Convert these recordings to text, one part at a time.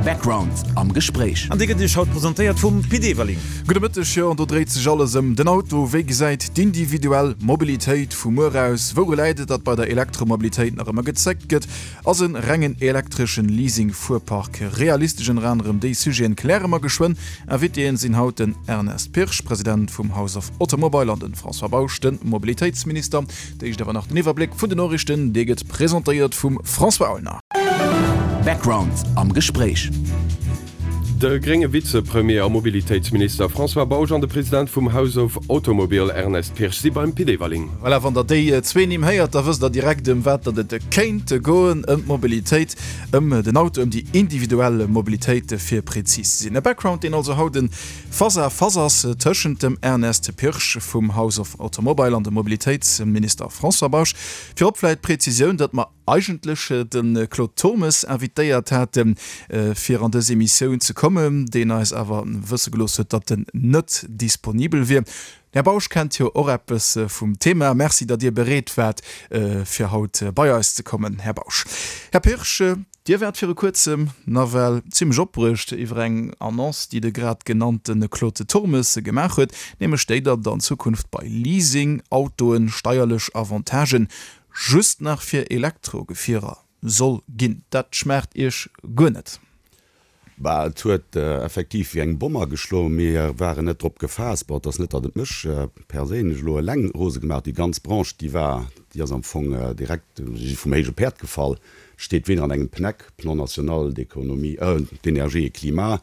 Background am Gespréich. An dee gëtt Iech haut presentéiert vum Pit Everling. Gudde Mëtteg, jo an do dréit sech alles ëm den Auto. Wéi gesäit d'individuell Mobilitéit vu muer aus? Wouru läit et, datt bei der Elektromobilitéit nach ëmmer gezéckt gëtt? Ass e rengen elektreschen Leasing-Fuerpark realistesch? Ënner anerem déi Sujeten kläre mer geschwënn. Invitéen sinn haut den Ernest Pirsch, President vum House of Automobile an den François Bausch, den Mobilitéitsminister. D'éischt awer nach den Iwwerbléck vun den Noriichten, dee gëtt presentéiert vum François Aulner. Background am Gespréich. De grénge Vizepremier a Mobilitéitsminister François Bausch an de President vum House of Automobile Ernest Pirsch si beim Pit Everling. Voilà, wann der déi zwee Nimm héiert, da wësst der direkt ëm wat datt et kéint goen, ëm d'Mobilitéit, ëm den Auto, ëm déi individuell Mobilitéit fir prezis ze sinn. E Background, deen also haut en Face à face ass tëschent dem Ernest Pirsch vum House of Automobile an dem Mobilitéitsminister François Bausch. Virop vläit d'Prezisioun, datt mer eigentlech de Claude Turmes invitéiert haten, fir an dës Emissioun ze kommen, deen eis awer wësse gelooss huet, datt en net disponibel wier. Den Här Bausch kennt jo och eppes vum Thema. Merci, datt Dir bereet waart, fir haut bei eis ze kommen, Här Bausch. Här Pirsch, Dir waart viru kuerzem nawell zimmlech opbruecht iwwer eng Annonce, déi de grad genannte Claude Turmes gemaach huet, nämlech déi, datt an Zukunft bei Leasing-Autoen steierlech Avantagen just nach fir Elektrogefierer soll ginn. Dat schmaacht Iech guer net? Bah, et huet effektiv wéi eng Bomm ageschloen. Mir waren net drop gefaasst. Bon, et ass net, datt et mech perséinlech elo eleng rose gemaach huet. Déi ganz Branche, déi war, déi ass am Fong direkt vum héije Päerd gefall. Steet weder an engem PNEC, Plan national d'économie, d'énergie et climat,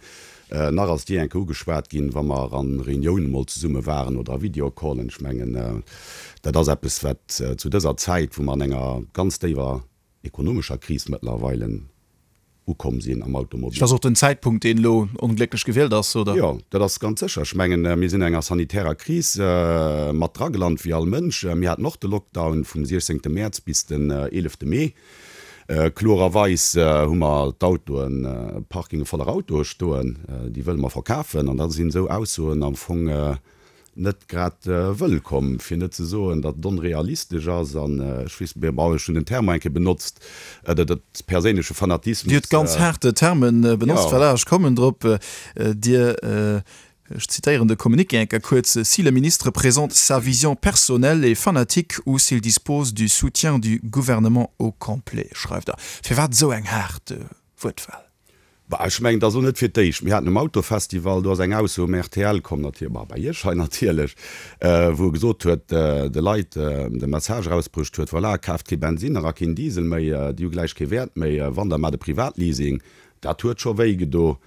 nach ass déi eng Kéier ugeschwat ginn, wa mer a Reuniounen emol zesumme waren oder a Videocallen. Ech mengen, dat ass eppes, wat zu dëser Zäit, wou mer an enger ganz déiwer ekonomescher Kris mëttlerweile ukomm sinn am Automobil. Dat ass och den Zäitpunkt, deen elo onglécklech gewielt ass, oder? Jo, dat ass ganz sécher. Ech mengen, mir sinn an enger sanitärer Kris mat dragelant, wéi all Mënsch. Mir haten och de Lockdown vum 16. Mäerz bis den 11. Mee. Klorerweis hu mer d'Autoen, Parkinge voller Autoe stoen, déi wëlle mer verkafen. An da sinn esou Aussoen am Fong net grad wëllkomm, fir net ze soen, datt et onrealistesch ass an ech weess, bon, ech hunn den Terme eng Kéier benotzt, dat perséinleche Fanatismus. Dir hutt ganz haart Termen benotzt, voilà, ech kommen drop. Dir, ech zitéieren de Communiqué eng Kéier kuerz, Si le ministre présente sa vision personnelle et fanatique ou s'il dispose du soutien du gouvernement au complet, schreift Der. Firwat esou eng haart Wuertwahl? Bah, ech mengen, et ass elo net fir d'éischt. Mir haten um Autofestival, do ass eng Ausso um rtl komm, natierlech, bah, bei Iech hei natierlech, wou e gesot huet, de Leit de Message erausbruecht huet, voilà, kaaft kee Bensinner a keen Diesel méi, déi hu gläich kee Wäert méi, wann, da maacht e Privatleasing. Dat huet scho wéi gedo.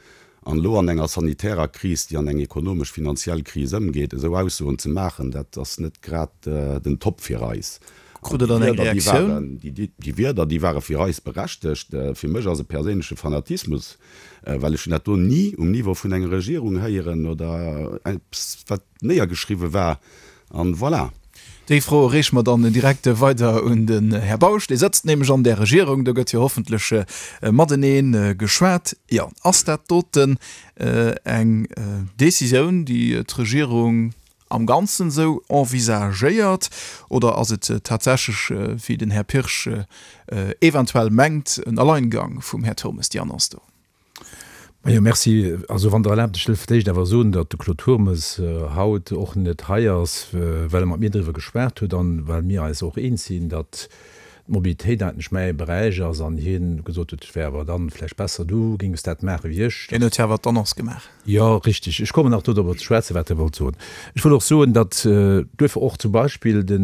An elo an enger sanitärer Kris, déi an eng ekonomesch, finanziell Kris ëmgeet, esou Aussoen ze maachen, dat ass net grad den Top fir eis. Krut Der dann eng Reaktioun? Déi Wierder, déi ware fir eis berechtegt. Fir mech ass e perséinleche Fanatismus, well ech hunn dat do ni um Niveau vun enger Regierung héieren oder eppes, wat néiergeschriwwe war. An voilà. Déi Fro reeche mer dann direkt weider un den Här Bausch. Dee sëtzt nämlech an där Regierung. Do gëtt jo hoffentlech matenee geschwat. Jo, ass dat doten eng Décisioun, déi d'Regierung am Ganzen esou envisagéiert oder ass et tatsächlech, wéi den Här Pirsch eventuell mengt, en Alleingang vum Här Turmes, déi Annonce do? Majo, merci. Also wann Der erlaabt, ech wëll fir d'éischt awer soen, datt de Claude Turmes haut och net hei ass, well e mat mir driwwer geschwat huet an well mir eis och eens sinn, datt d'Mobilitéit eigentlech mäi Beräich ass an hien gesot huet, et wär awer dann vläicht besser, du géings dat maache wéi ech. Hien huet jo awer d'Annonce gemaach. Jo, richtig. Ech kommen nach dodrobber ze schwätzen, wat Der wollt soen. Ech wollt och soen, datt duerfir och zum Beispill de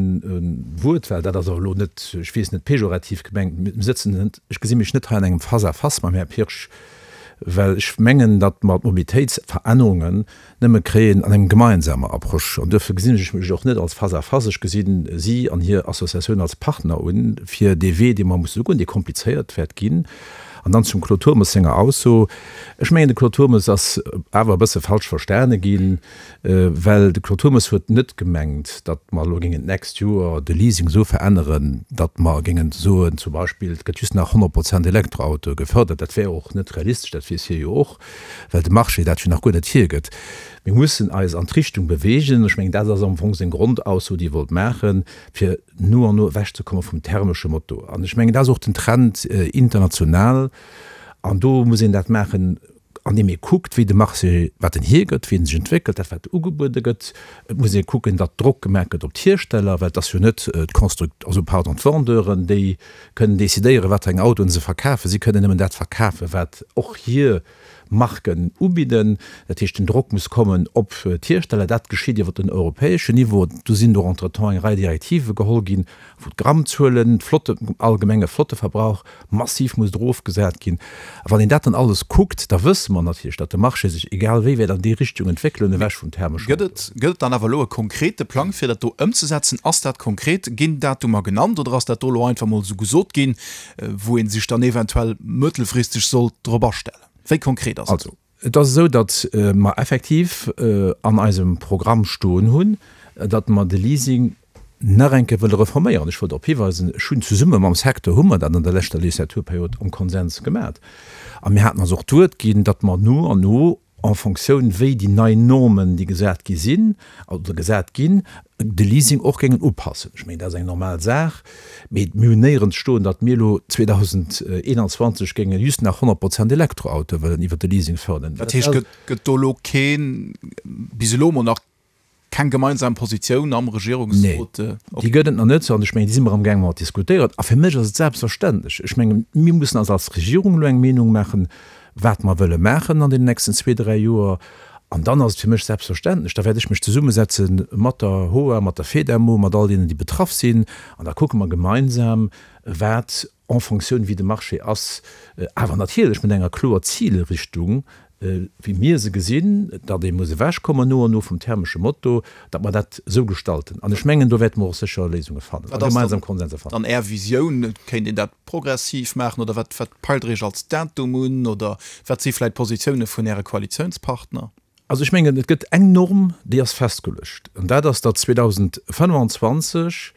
Wuertwahl, dat ass awer elo net, ech weess net, pejorativ gemengt, mir sëtzen net, ech gesi mech net hei an engem Face-à-face mam Här Pirsch, well ech mengen, datt mer d'Mobilitéitsverännerungen nëmme kréien an engem gemeinsamer Approche. An duerfir gesinn ech mech och net als Face-à-face, ech gesi si an hir Associatioun als Partner un, fir dee Wee, dee mer musse goen, dee komplizéiert wäert ginn. An dann zum Claude Turmes senger Ausso. Ech mengen, de Claude Turmes ass awer e bësse falsch verstane ginn, well de Claude Turmes huet net gemengt, datt mer elo géingen d'nächst Joer de Leasing esou veränneren, datt mer géingen soen, zum Beispill, et gëtt just nach 100 Prozent Elektroautoe gefërdert. Dat wär och net realistesch, dat weess hie jo och, well de Marché dat jo nach guer net hiergëtt. Mir mussen eis an d'Richtung bewegen, ech mengen, dat ass am Fong seng Grondausso, déi e wollt maachen, fir no an no ewechzekomme vum thermesche Motor. An ech mengen, dat ass och den Trend international. An do muss een dat maachen, andeem ee kuckt, wéi de Marché, wat en hiergëtt, wéi en sech entwéckelt, dat wat ugebuede gëtt. Et muss ee kucken, datt Drock gemaach gëtt op d'Hiersteller, well et ass jo net d'Construct-, also pardon, d'Vendeuren, déi kënnen decidéieren, wat fir eng Autoen se verkafen. Si kënnen nëmmen dat verkafen, wat och hir Marken ubidden. Dat heescht, den Drock muss kommen op d'Hiersteller. Dat geschitt iwwer den europäeschen Niveau. Do sinn och entretemps eng Rei Direktive geholl ginn, wou d'Grammzuelen, d'Flotte, allgemenge Flotteverbrauch massiv muss erofgesat ginn. A wann een dat dann alles kuckt, da wësse mer natierlech, datt de Marché sech egal wéi wäert an déi Richtung entwéckelen, ewech vum thermeschen Gëtt et, gëtt et dann awer elo e konkrete Plang, fir dat do ëmzesetzen? Ass dat konkret? Ginn Datumer genannt oder ass dat do elo einfach mol esou gesot ginn, wou ee sech dann eventuell mëttelfristeg sollt drop astellen? Wéi konkret ass et? Also, et ass esou, datt mer effektiv an eisem Programm stoen hunn, datt mer de Leasing nach eng Kéier wëlle reforméieren. Ech wollt drop hiweisen, ech hunn zesumme mam Secteur, hu mer dat an der leschter Legislaturperiod am Konsens gemat. A mir haten eis och d'Wuert ginn, datt mer no an no, en Fonctioun wéi déi nei Normen, déi gesat gi sinn oder gesat ginn, de Leasing och géingen upassen. Ech mengen, dat ass eng normal Saach. Mee mir hunn néierens stoen, datt mir elo 2021 géinge just nach 100 Prozent Elektroautoe wëllen iwwert de Leasing fërderen. Dat heescht, gëtt do elo keen, bis elo emol nach Keng gemeinsam Positioun am Regierungsrot? Nee, déi gëtt et nach net. An ech mengen, déi si mer amgaange mat diskutéieren. A fir mech ass et selbstverständlech, ech mengen, mir mussen eis als Regierung elo eng Meenung maachen, wat mer wëlle maachen an deenen nächsten zwee, dräi Joer. An dann ass et fir mech selbstverständlech, da wäert ech mech zesummesetze mat der HOA, mat der FEDEMO, mat all deenen, déi betraff sinn, an da kucke mer gemeinsam, wat en Fonctioun wéi de Marché ass, awer natierlech mat enger kloer Zilrichtung, wéi mir se gesinn, datt ee muss ewechkommen no an no vum thermesche Moto, datt mer dat esou gestalten. An ech mengen, do wäerte mer och sécher Léisunge fannen a gemeinsam Konsenser fannen. Dann Är Visioun, kéint een dat progressiv maachen oder wat peilt Der Iech als Datum un oder wat si vläicht d'Positioune vun Äre Koalitiounspartner? Also ech mengen, et gëtt eng Norm, déi ass festgeluecht, an dat ass, datt 2025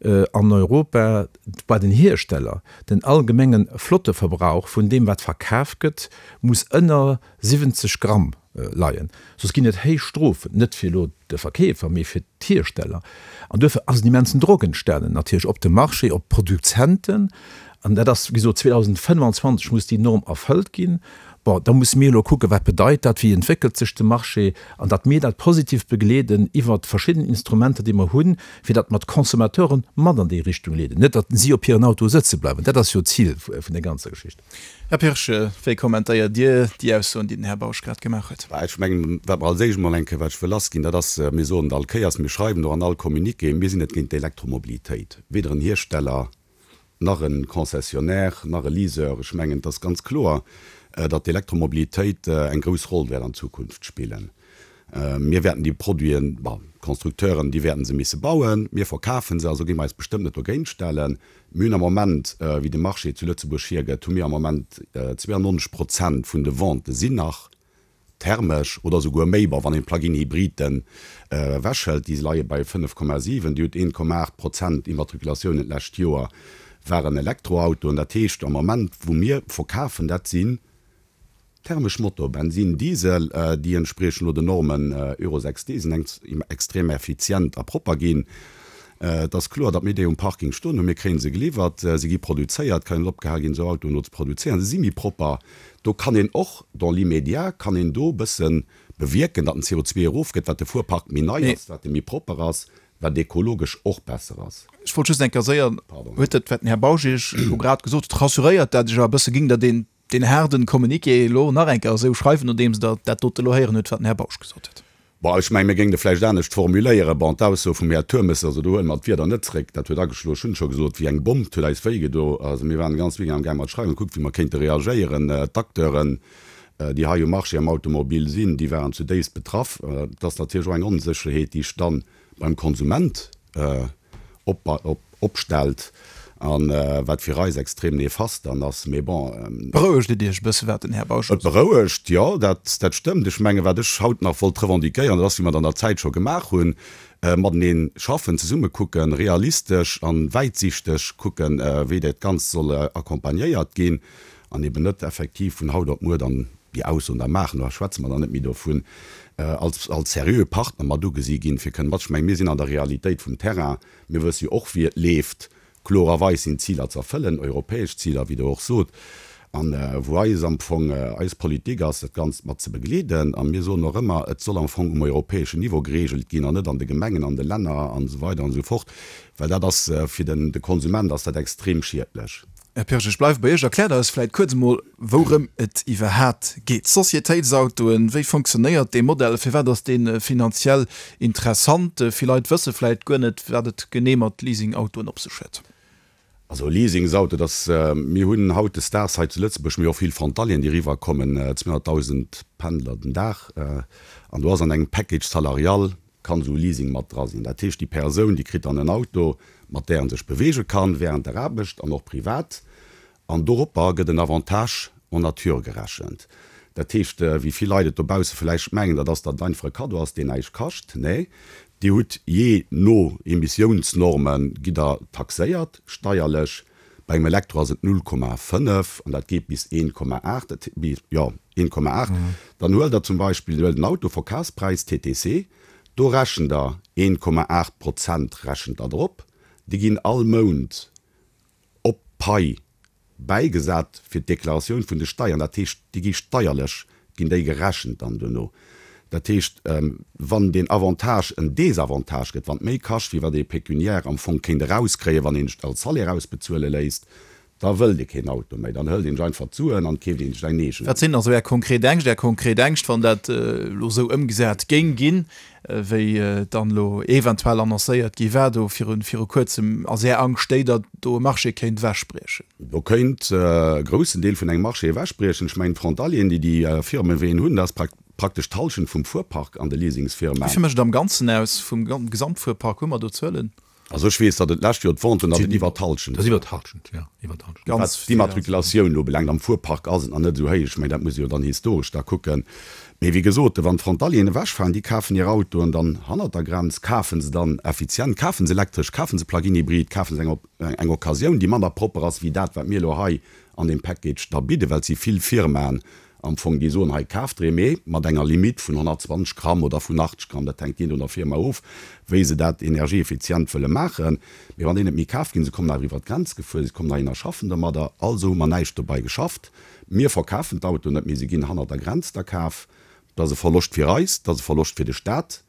an Europa bei den Hiersteller den allgemenge Flotteverbrauch vun deem, wat verkaf gëtt, muss ënner 70 Gramm leien. Soss ginn et héich Strofen, net fir elo de Verkeefer, mee fir d'Hiersteller. An duerfir ass en immensen Drock entstanen natierlech op de Marché, op d'Produzenten. An dat ass, wéi gesot, 2025 muss déi Norm erfëllt ginn. Bon, da musse mir elo kucken, wat bedeit dat, wéi entwéckelt sech de Marché, an datt mir dat positiv begleeden iwwert verschidden Instrumenter, déi mer hunn, fir datt mer d'Consommateuren mat an déi Richtung leeden, net datt si op hiren Autoe sëtze bleiwen. Dat ass jo d'Zil vun der ganzer Geschicht. Här Pirsch, wéi kommentéiert Dir déi Aussoen, déi den Här Bausch grad gemaach huet? Ech mengen, wat mer als éischt emol eng Kéier, wat ech wëll lassginn, dat ass, mir soen et all Kéiers, mir schreiwen och an all Communiqué, mir sinn net géint d'Elektromobilitéit, weder en Hiersteller, nach e Concessionnaire, nach e Leaseur. Ech mengen, et ass ganz kloer, datt d'Elektromobilitéit eng grouss Roll wäert an Zukunft spillen. Mir wäerten déi Produiten, bon, d'Constructeuren, déi wäerten se misse bauen, mir verkafe se, also gi mer eis bestëmmt net dogéint stellen. Mir hunn am Moment, wéi de Marché zu Lëtzebuerg hiergëtt, hu mir am Moment 92 Prozent vun de Vente sinn nach thermesch oder esouguer méi, bon wann een d'Plug-in Hybriden ewech hëlt, déi leie bei 5,7, Dir hutt 1,8 Prozent Immatrikulatiounen d'lescht Joer waren Elektroautoen. Dat heescht am Moment wou mir verkafen, dat sinn thermesch Motor, Bensin, Diesel, déi entspriechen elo den Normen Euro 6d, sinn extrem effizient a propper ginn. Et ass kloer, datt mir déi um Parking stoen hunn. Mir kréie se geliwwert, se gi produzéiert, kann net opgehal ginn, esou Autoen elo ze produzéieren. Se si méi propper. Do kann een och, dans l'immédiat, kann een do e bësse bewierken, datt den CO2 erofgëtt, wat de Fuerpark méi nei ass, wat e méi propper ass, wat ekologesch och besser ass. Ech wollt just eng Kéier séier, huet dat, wat den Här Bausch Iech elo grad gesot huet, rassuréiert dat Iech awer e bësse? Géing Der deen, deen haarden Communiqué elo nach eng Kéier esou schreiwen, nodeems Der dat dote elo héieren hutt, wat den Här Bausch gesot huet? Bon, ech mengen, mir géingen e vläicht anescht formuléieren. Bon, d'Ausso vum Här Turmes, also do huele mer d'Wierder net zréck, dat huet ageschloen, ech hunn et scho gesot, wéi eng Bomm, 't huet eis wéi gedo. Also mir waren de ganze Weekend amgaang mat schreiwen, kuckt wéi mer kéinte reagéieren. D'Acteuren, déi hei um Marché am Automobil sinn, déi waren zudéifst betraff. Et ass natierlech och eng Onsécherheet, déi sech dann beim Konsument opstellt an wat fir eis extrem nefast dann ass. Mee bon. Berouegt et Iech e bësse wat den Här Bausch elo sot? Et berouegt, jo, dat dat stëmmt. Ech mengen, wat ech haut nach wollt revendiquéieren, dat ass, wéi mer et an der Zäit scho gemaach hunn, matenee schaffen, zesumme kucken, realistesch an wäitsichteg kucken, wéi dat Ganzt soll accompagnéiert ginn an eben net effektiv vun haut op muer dann déi Aussoen da maachen, da schwätze mer dann net méi dovun, als als seriöe Partner mat ugesi ginn, fir kënnen mat. Ech mengen, mir sinn an der Realitéit vum Terrain, mir wësse jo och, wéi et leeft. Klorerweis sinn d'Ziler z'erfëllen, europäesch Ziler, wéi Der och sot. An wou eis am Fong eis Politik ass, dat Ganzt mat ze begleeden. A mir soen och ëmmer, et soll am Fong um europäeschen Niveau geregelt ginn an net an de Gemengen, an de Länner an esou weider an esou fort, well dat ass fir den de Konsument ass dat extrem schiedlech. Här Pirsch, ech bleiwe bei Iech. Erkläert eis vläicht kuerz emol, wourëm et iwwerhaat geet. Societéitsautoen, wéi funktionéiert dee Modell? Firwat ass dee finanziell interessant? Vill Leit wësse vläicht guer net, wat et genee mat Leasingautoen op sech huet. Also Leasingsauto, dass, mir hunn hautdesdaags hei zu Lëtzebuerg, mir hu och vill Frontalieren, déi eriwwer kommen, 200.000 Pendler den Dag, an do ass an engem Package salarial kann esou e Leasing mat dra sinn. Dat heescht, déi Persoun, déi kritt dann en Auto, mat där en sech beweege kann während der Aarbecht an och privat, An doropper gëtt en Avantage en nature gerechent. Dat heescht, wéi vill Leit et dobausse vläicht mengen, dat ass, datt et einfach e Kaddo ass, deen näischt kascht. Nee, Dir hutt jee no Emissiounsnorme gitt Der taxéiert, steierlech. Bei engem Elektro ass et 0,5 an dat geet bis 1,8, jo, 1,8. Dann huelt Der zum Beispill, huelt en Auto, Verkafspräis, TTC, do rechent Der 1,8 Prozent rechent Der drop. Déi ginn all Mount op d'Pai bäigesat fir d'Deklaratioun vun de Steiern. Dat heescht, déi gi steierlech, ginn déi gerechent dann duerno. Dat heescht, wann deen Avantage en Désavantage gëtt, wann et méi kascht, wéi wat ee pécuniaire am Fong kéint erauskréien, wann een et als Salaire ausbezuele léisst, da wëllt ee keen Auto méi. Dann hëlt een sech einfach d'Suen an keeft een sech eng eegen. Wat sinn also Är konkret Ängscht, Är konkret Ängscht, wann dat elo esou ëmgesat géing ginn, wéi dann elo eventuell annoncéiert gi war do viru kuerzem, ass Är Angscht déi, datt do e Marché kéint ewechbriechen? Do kéint e groussen Deel vun engem Marché ewechbriechen. Ech mengen, d'Frontalieren, déi déi Firmeween hunn, dat ass praktesch d'Hallschent vum Fuerpark an de Leasingsfirmaen. Wéi vill mécht et am Ganzen aus vum Gesamtfuerpark? Hu mer do Zuelen? Also ech weess, datt et d'lescht Joer d'Venten, datt et iwwer d'Hallschent war. Iwwer d'Hallschent, jo, iwwer d'Hallschent. Wat d'Immatrikulatioun elo ubelaangt, am Fuerpark ass et nach net esou héich. Ech mengen, dat muss ee jo dann historesch da kucken. Mee wéi gesot, wann d'Frontalieren ewechfalen, déi kafen hir Autoen dann hannert der Grenz, kafe se dann effizient, kafe se elektresch, kafe se Plug-in-Hybrid, kafe se eng eng Occasioun, déi manner propper ass wéi dat, wat mir elo hei an deem Package da bidden, well et si vill Firmaen Am Fong, déi soen, hei kaaft der ee, mee mat enger Limitt vun 120 Gramm oder vun 80 Gramm, dat hänkt jee no der Firma of, wéi se dat energieeffizient wëlle maachen. Mee wann déi net méi kaaft ginn, se kommen awer iwwer d'Grenz gefuer, se kommen heihin a schaffen domadder, also hu mer näischt dobei geschafft. Mir verkafen d'Autoen net méi, se ginn hannert der Grenz da kaf. Dat ass e Verloscht fir eis, dat ass e Verloscht fir de Staat.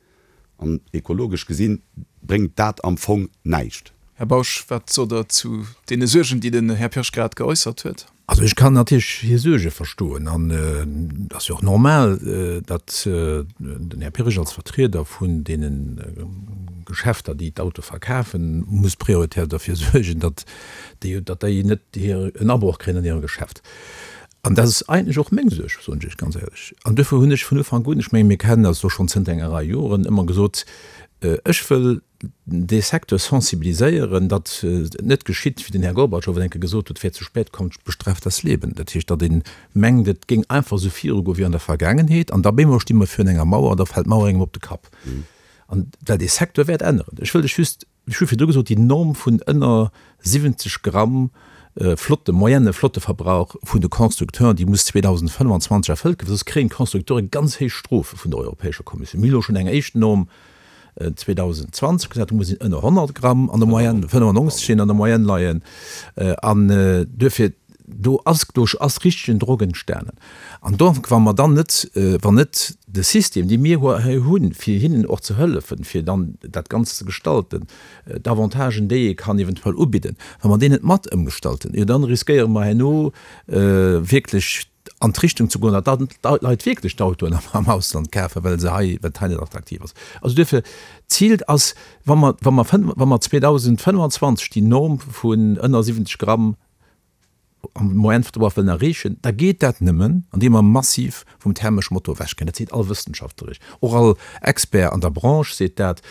An ekologesch gesinn bréngt dat am Fong näischt. Här Bausch, wat sot Der zu deene Suergen, déi den Här Pirsch grad geäussert huet? Also ech kann natierlech hir Suerge verstoen an et ass jo och normal, datt den Här Pirsch als Vertrieder vun deene Geschäfter, déi d'Auto verkafen, muss prioritär derfir suergen, datt déi net en Abroch kréien an hirem Geschäft. An dat ass eigentlech och meng Suerg, soen ech Iech ganz éierlech. An duerfir hunn ech vun Ufank un, ech mengen, mir kennen eis elo schonn zënter enger Rei Joren, ëmmer gesot, ech wëll dee Secteur sensibiliséieren, datt et net geschitt, wéi den Här Gorbatschow et eng Kéier gesot huet, Wer zu spät kommt, bestraft das Leben. Dat heescht, datt ee mengt, et géing einfach esou virugoen wéi an der Vergaangenheet, an da bemol sti mer virun enger Mauer an da fält d'Mauer engem op de Kapp. An well dee Secteur wäert änneren. Ech wëll lech just Ech hu virdru gesot, déi Norm vun ënner 70 Gramm Flotte, Moyenne Flotteverbrauch vun de Constructeuren, déi muss 2025 erfëllt ginn, well soss kréien d'Constructeure ganz héich Strofe vun der Europäescher Kommissioun. Mir hu elo schonn eng éischt Norm 2020 gesat, do muss een ënner 100 Gramm an der Moyenne, 95 sinn, an der Moyenne leien. An duerfir, do ass, do ass richtegen Drock entstanen. An donc, wa mer dann net, wann net de System, dee mir hei hunn, fir hinnen och ze hëllefen, fir dann dat Ganzt ze gestalten, d'Avantagen, déi ee kann eventuell ubidden, wa mer deen net mat ëmgestalten, jo dann riskéiere mer herno wierklech an d'Richtung ze goen, datt dann d'Leit wierklech d'Autoen am Ausland kafen, well se hei, well et hei net attraktiv ass. Also duerfir, d'Zil ass, wa mer, wa mer, wa mer 2025 déi Norm vun ënner 70 Gramm am Moyenne-Verbrauch wëllen erreechen, da geet dat nëmmen, andeem mer massiv vum thermesch Motor ewechginn. Dat seet all Wëssenschaftler, och all Expert an der Branche seet dat.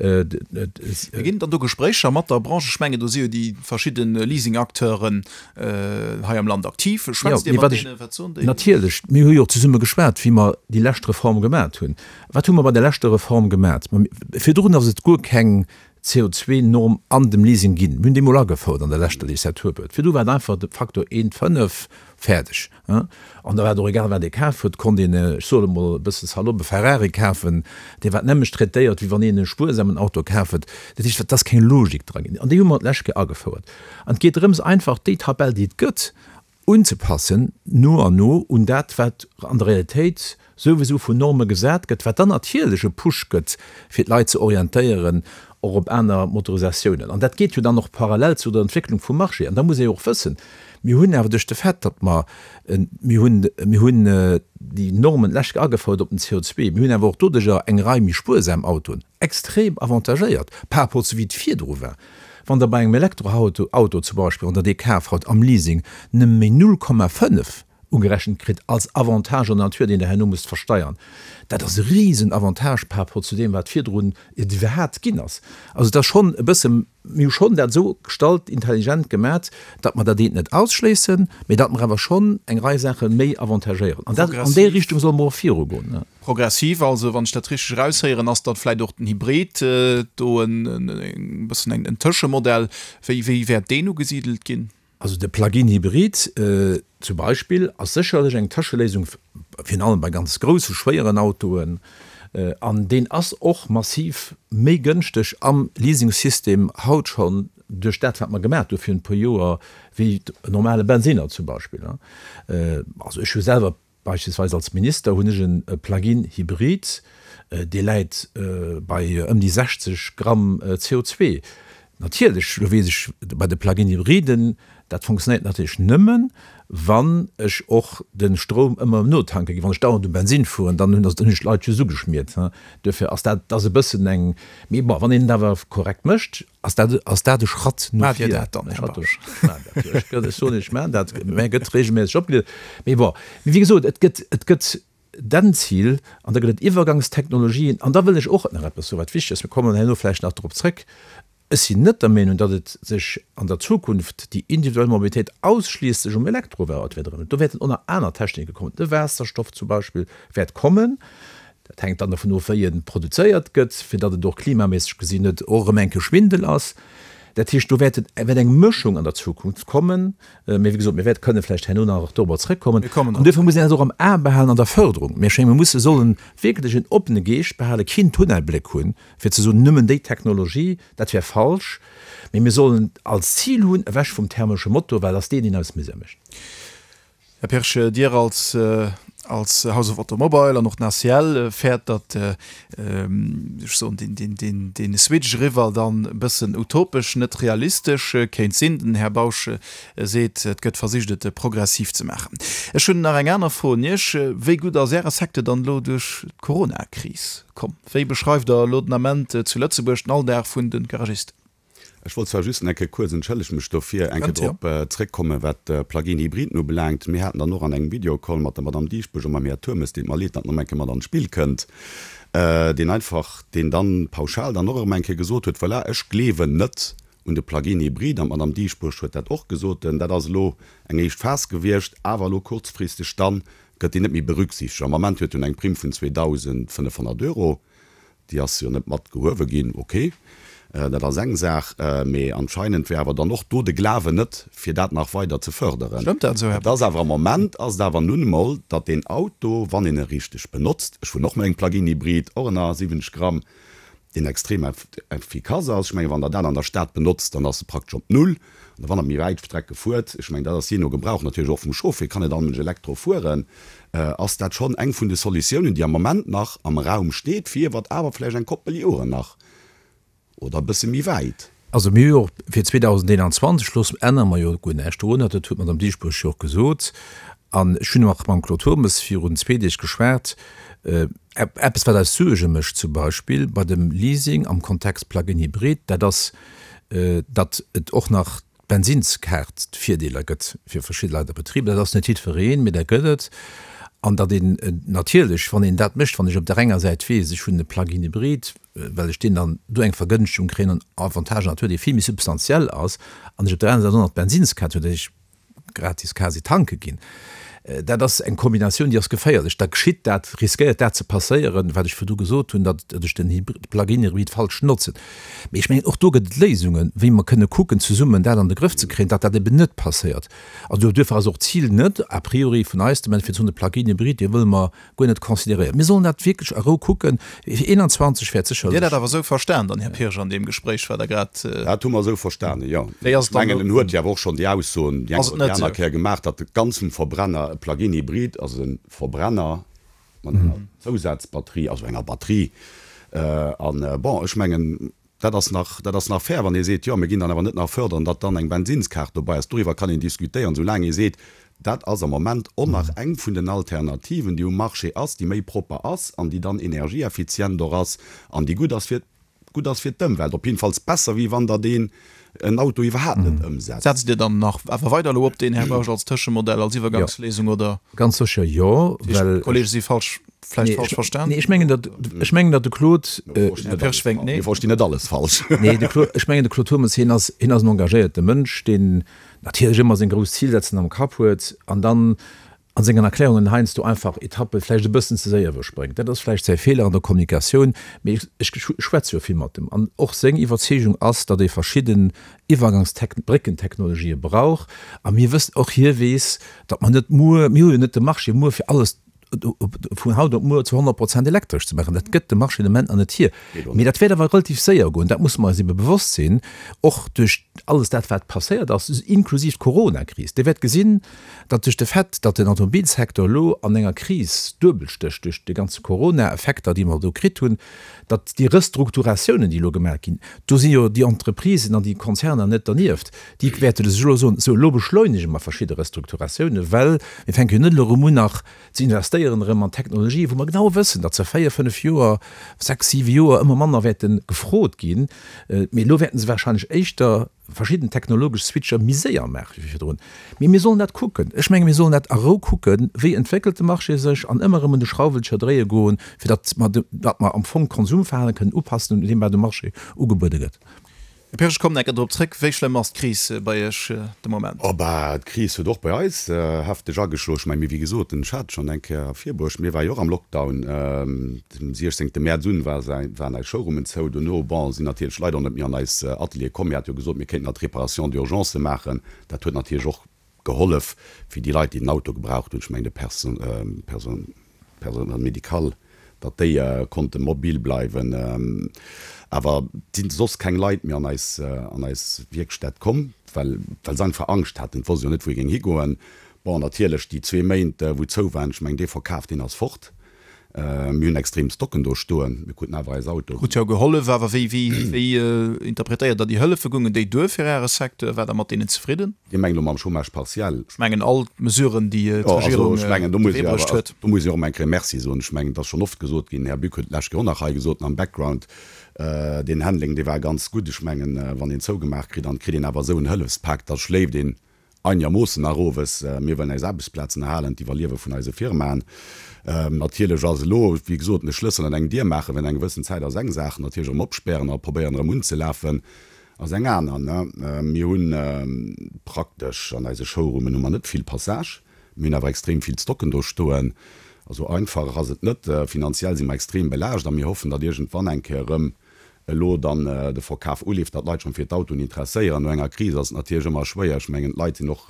Ginn et dann do Gespréicher mat der Branche? Ech mengen, do si jo déi verschidde Leasing-Acteuren hei am Land aktiv. Schwätzt Dir mat deenen? Wat soen déi? Natierlech, mir hu jo och zesumme geschwat, wéi mer déi lescht Reform gemat hunn. Wat hu mer bei der leschter Reform gemat? Virdrun ass et guer keng CO2-Norm an dem Leasing ginn. Mir hunn déi mol agefouert an der leschter Legislaturperiod. Virdu war et einfach de Faktor 1,5, fäerdeg. An da war et och egal, wat ee kaf huet, konnt een, ech soe mol e bësse salopp, e Ferrari kafen, dee war d'nämmlecht traitéiert, wéi wann een e spuersamen Auto kaf huet. Dat heescht, et ass keng Logik dra ginn. An déi hu mer d'lescht Kéier agefouert. An et geet drëms, einfach déi Tabell, déi et gëtt. unzepassen no an no un dat, wat an der Realitéit souwisou vun Norme gesat gëtt, wat dann natierlech e Push gëtt, fir d'Leit ze orientéieren och op aner Motorisatiounen. An dat geet jo dann och parallel zu der Entwécklung vum Marché. An da muss ee jo och wëssen, mir hunn awer duerch de Fait, datt mer, mir hunn, mir hunn déi Normen d'lescht Joer agefouert op den CO2, mir hunn awer och doduerjer eng Rei méi spuersam Autoen extrem avantagéiert par rapport zu wéi et virdru war. Wann Der bei engem Elektroauto Auto zum Beispill, wann Der dee kaf haut am Leasing, nëmme méi 0,5 ugerechent kritt als Avantage en nature, deen Der herno musst versteiern, dat ass e risen Avantage par rapport zu deem, wat virdrun et iwwerhat ginn ass. Also et ass schonn e bësse, mir hu schonn dat esou gestallt, intelligent gemat, datt mer dat eent net ausschléissen, mee datt mer awer schonn eng Rei Saache méi avantagéieren. An dat, an déi Richtung solle mer och virugoen. Progressiv also, wann ech dat richteg eraushéieren, ass dann vläit och den Hybrid do en bëssen en Tëschemodell. Wéi, wéi wäert deen ugesidelt ginn? Also de Plug-in Hybrid zum Beispill ass sécherlech eng Tëscheléisung, virun allem bei ganz grousse, schwéieren Autoen, an deen ass och massiv méi gënschteg am Leasingsystem haut schonn duerch dat wat mer gemaat hu virun e puer Joer, wéi en normale Bensinner zum Beispill. Also ech hu selwer Beispillsweis als Minister hunn ech e Plug-in Hybrid, dee läit bei ëm déi 60 Gramm CO2. Natierlech, lo weess ech, bei de Plug-in Hybriden, dat funktionéiert natierlech nëmmen, wann ech och de Stroum ëmmer notanke ginn. Wann ech dauernd um Bensin fueren, dann hunn ech d'Leit just ugeschmiert. Duerfir ass dat, ass e bëssen eng, mee bon, wann een et awer korrekt mécht, Ass dat, ass dat e Schratt no Maacht Dir vir? dat dann, Här Bausch? Ech maachen dat, jo. Ech gëtt, ech soen Iech, ech maachen dat. Mä gëtt regelméisseg opgelieft. Mee bon, mee wéi gesot, et gëtt, et gëtt den Zil an da gëtt et Iwwergangstechnologien. An da wëll ech och nach eppes soen, wat wichteg ass, mir kommen herno vläicht nach drop zrëck, Ech sinn net der Meenung, datt et sech an der Zukunft déi individuell Mobilitéit ausschliesslech um Elektroauto wäert erëmmen. Do wäerten och nach aner Technike kommen. De Waasserstoff zum Beispill wäert kommen. Dat hänkt dann dovun of, wéi e produzéiert gëtt, fir datt et och klimaméisseg gesinn net och erëm enke Schwindel ass. Dat heescht, do wäert wäert eng Mëschung an der Zukunft kommen. Mee wéi gesot, mir wäerte kënne vläicht herno nach dorobber zrëckkommen. An duerfir muss een dat och am A behalen an der Förderung. Mir schéngen, mir musse sollen wierklech en oppene Geescht behalen, keen Tunnelbléck hunn, fir ze soen, nëmmen déi Technologie, dat wär falsch. Mee mir sollen als Zil hunn, ewech vum thermesche Motor, well et ass deen, deen eis Misär mécht. Här Pirsch, Dir als als House of Automobile an och den ACL fäert, datt, ech soen, deen, deen, deen, dee Switch eriwwer dann e bëssen utopesch, net realistesch kéint sinn. Den Här Bausch seet, et gëtt versicht, et progressiv ze maachen. Ech hunn nach eng aner Fro un Iech, Wéi gutt ass Äre Secteur dann elo duerch d'Coronakris komm? Wéi beschreift Der elo den Ament zu Lëtzebuerg den Alldag vun de Garagisten? Ech wollt zwar just eng Kéier kuerz, entschëllegt mech dofir, eng Kéier drop zréckkommen, wat d'Plug-in Hybriden ubelaangt. Mir haten dann och an engem Videocall mat der Madame Dieschbourg a mam Här Turmes, deet mer leed, datt en erëm eng Kéier mat an d'Spill kënnt, deen einfach, deen dann pauschal dann och erëm eng Kéier gesot huet, Voilà, ech gleewen net un de Plug-in Hybrid. An d'Madame Dieschbourg huet dat och gesot, dat ass elo eng éischt Phas gewiescht, awer elo kurzfristeg dann gëtt deen net méi berücksichtegt. Am Ament huet en eng Primm vun 2.500 Euro. Déi ass jo net mat gehuewe ginn, ok, dat ass eng Saach, mee anscheinend wär awer dann och do de Glawen net, fir dat nach weider ze förderen. Stëmmt dat esou, Här Et ass awer am Moment ass et awer nun emol, datt deen Auto, wann een e richteg benotzt, ech fueren och mat engem Plug-in-Hybrid, och ënner 70 Gramm, deen extrem effikass ass, ech mengen, wann Der dat an der Stad benotzt, dann ass e praktesch op Null. An wann Der méi wäit Strecke fuert, ech mengen, dat ass jee no Gebrauch natierlech och vum Chauffer, kann net all Mënsch Elektro fueren, ass dat schonn eng vun de Solutiounen, déi am Moment nach am Raum steet, fir wat awer vläicht eng Koppel Joren nach oder e bësse méi wäit. Also mir hu jo och fir 2021, looss, ännere mer jo guer näischt dorunner, dat huet d'Madame Dieschbourg jo och gesot, an ech hunn och mam Claude Turmes virun zwee Deeg geschwat, eppes wat eis Suerge mécht zum Beispill bei dem Leasing am Kontext Plug-in Hybrid, dat ass, datt et och nach d'Bensinnskaart-Virdeeler gëtt fir verschidde Leit a Betriber. Dat ass net jiddwereen, mee dat gëtt et. An datt een natierlech, wann een dat mécht, wann ech op där enger Säit weess, ech hunn e Plug-in Hybrid, well ech deen dann do eng Vergënschtegung kréien an Avantage an Natur, dee vill méi substantiell ass, an ech op där anerer Säit och nach d'Bensinnskaart hunn, datt ech gratis quasi tanke ginn. Dat ass eng Kombinatioun, déi ass geféierlech. Da geschitt dat, riskéiert dat ze passéieren, wat ech virdu gesot hunn, datt ech den Plug-in-Hybrid falsch notzen. Mee ech mengen, och do gëtt et Léisungen, wéi mer kënne kucken, zesummen dat an de Grëff ze kréien, datt dat eben net passéiert. Also duerfir ass och d'Zil net a priori vun eis de Moment, fir ze soen, de Plug-in-Hybrid, dee wëlle mer guer net consideréieren. Mir sollen dat wierklech a Rou kucken. Fir 21 wäert sécherlech. Dir dat awer esou verstan dann, Här Pirsch, an deem Gespréich, wat Der grad. Dat hu mer esou verstanen, jo. Wéi ass et dann elo? Ech mengen, en huet jo awer och schonn déi Aussoen déi eng oder déi aner Kéier gemaach, datt e ganz vum Verbrenner, e Plug-in-Hybrid ass e Verbrenner mat enger Zousazbatterie, also enger Batterie. An, bon, ech mengen, Dat ass nach, dat ass nach fair, wann ee seet, jo, mir ginn dann awer net nach fördern, datt dann eng Bensinnskaart dobei ass. Doriwwer kann een diskutéieren, soulaang ee seet, dat ass am Moment och nach eng vun den Alternativen, déi um Marché ass, déi méi propper ass an déi dann energieeffizient och ass an déi gutt ass fir, gutt ass fir d'Ëmwelt, op jiddefalls besser, wéi wann Der deen en Auto iwwerhaapt net ëmsetzt. Setzt Dir dann nach awer weider elo op deen, Här Bausch, als Tëschemodell, als Iwwergangsléisung, oder? Ganz sécher jo, well. D'Kollege si falsch. Vläicht falsch verstan? Nee, ech mengen, datt, ech mengen, datt de Claude. Här Pirsch wénkt nee. Mir verstinn net alles falsch. Nee, de Claude, ech mengen, de Claude Turmes, hien ass, hien ass en engagéierte Mënsch, deen natierlech ëmmer seng grouss Zilsetzen am Kapp huet an dann a sengen Erklärungen heiansdo einfach Etappe vläicht e bëssen ze séier iwwerspréngt. Dat ass vläicht säi Feeler an der Kommunikatioun, mee ech, ech schwätze jo vill mat em an och seng Iwwerzeegung ass, datt ee verschidden Iwwergangstech-, Bréckentechnologië brauch a mir wëssen, och hie weess, datt mer net muer, mir hu jo net de Marché muer fir alles vun haut op muer zu 100 Prozent elektresch ze maachen. Dat gëtt de Marché de Moment nach net hier. Mee dat wäert awer relativ séier goen, dat musse mer eis ebe bewosst sinn, och duerch alles dat, wat passéiert ass, inklusiv d'Coronakris. Dir wäert gesinn, datt duerch de Fait, datt den Automobilsecteur elo an enger Kris duebel stécht duerch déi ganze Corona-Effekter, déi mer do kritt hunn, datt déi Restrukturatiounen, déi elo gemaach ginn, do si jo déi Entreprisen an déi Konzerner net dernieft, déi wäerte sech elo soen, sou elo beschleunege mer verschidde Restrukturatiounen, well mir fänke jo net elo erëm un nach ze investéieren erëm an Technologien, wou mer genau wëssen, datt se véier, fënnef Joer, sechs, siwe Joer ëmmer manner wäerte gefrot ginn. Mee elo wäerte se wahrscheinlech éischter verschidden technologesch Switcher méi séier maache wéi virdrun. Mee mir sollen dat kucken. Ech menge mir sollen dat a Rou kucken, wéi entwéckelt de Marché sech an ëmmer erëm un de Schrauwelcher dréie goen, fir datt mer, datt mer am Fong d'Konsumverhalen kënnen upassen un deem, wat um Marché ugebuede gëtt. Här Pirsch, ech kommen enker drop zréck. Wéi schlëmm ass d'Kris bei Iech de Moment? Oh bah, d'Kris huet och bei eis hefteg ageschloen. Ech mengen, mee wéi gesot, den Chat schonn eng Kéier ervirbuecht, mir ware jo och am Lockdown. Dem 16 Mäerz un war waren eis Showroomen zou. Dono, bon, sinn natierlech d'Leit och net méi an eis Ateliere komm. Mir hate jo gesot, mir kéinten nach d'Réparation d'urgence maachen. Dat huet natierlech och gehollef fir déi Leit, déi den Auto gebraucht hunn, ech mengen de Personnel médical, datt déi konnte mobil bleiwen. Awer et sinn soss keng Leit méi an eis an eis Wierkstätt komm, well well se einfach Angscht haten. Et wosst jo net, wou ee géing higoen. Bon, natierlech déi zwee Méint, wou zou waren, ech mengen dee Verkaf, deen ass fort. Mir hunn extrem Stocken do stoen. Mir kruten awer eis Autoen. Krut jo gehollef, awer wéi, wéi, wéi interpretéiert Der déi Hëllefe? Goungen déi duer fir Äre Secteur? Waart Der mat deenen zefridden? Dir mengt elo mam Chômage partiel? Ech mengen all d'Mesuren, déi d'Regierung op de Wee bruecht huet. Do muss ech och emol eng Kéier Merci soen. Ech mengen, et ass schonn oft gesot ginn, den Här Buck huet et d'lescht Kéier och nach hei gesot am Background, deen Handling, dee war ganz gutt. Ech mengen, wann een zougemaach kritt an et kritt een awer esou en Hëllefspak, da schléift een Einermoossen nach owes. Mir wëllen eis Aarbechtsplazen erhalen, d'Iwwerliewe vun eise Firmaen. Natierlech ass elo, wéi gesot, e Schlëssel an eng Dier maachen während enger gewëssen Zäit ass eng Saach, natierlech erëm opspären a probéieren erëm unzelafen ass eng aner. Mir hu praktesch an eise Showroomen hu mer net vill Passage, mir hunn awer extrem vill Stocken do stoen. Also einfach ass et net. Finanziell si mer extrem belaascht a mir hoffen, datt iergendwann eng Kéier erëm elo dann de Verkaf uleeft, datt d'Leit schonn fir d'Autoen interesséieren. No enger Kris ass et natierlech ëmmer schwéier. Ech mengen, d'Leit sinn och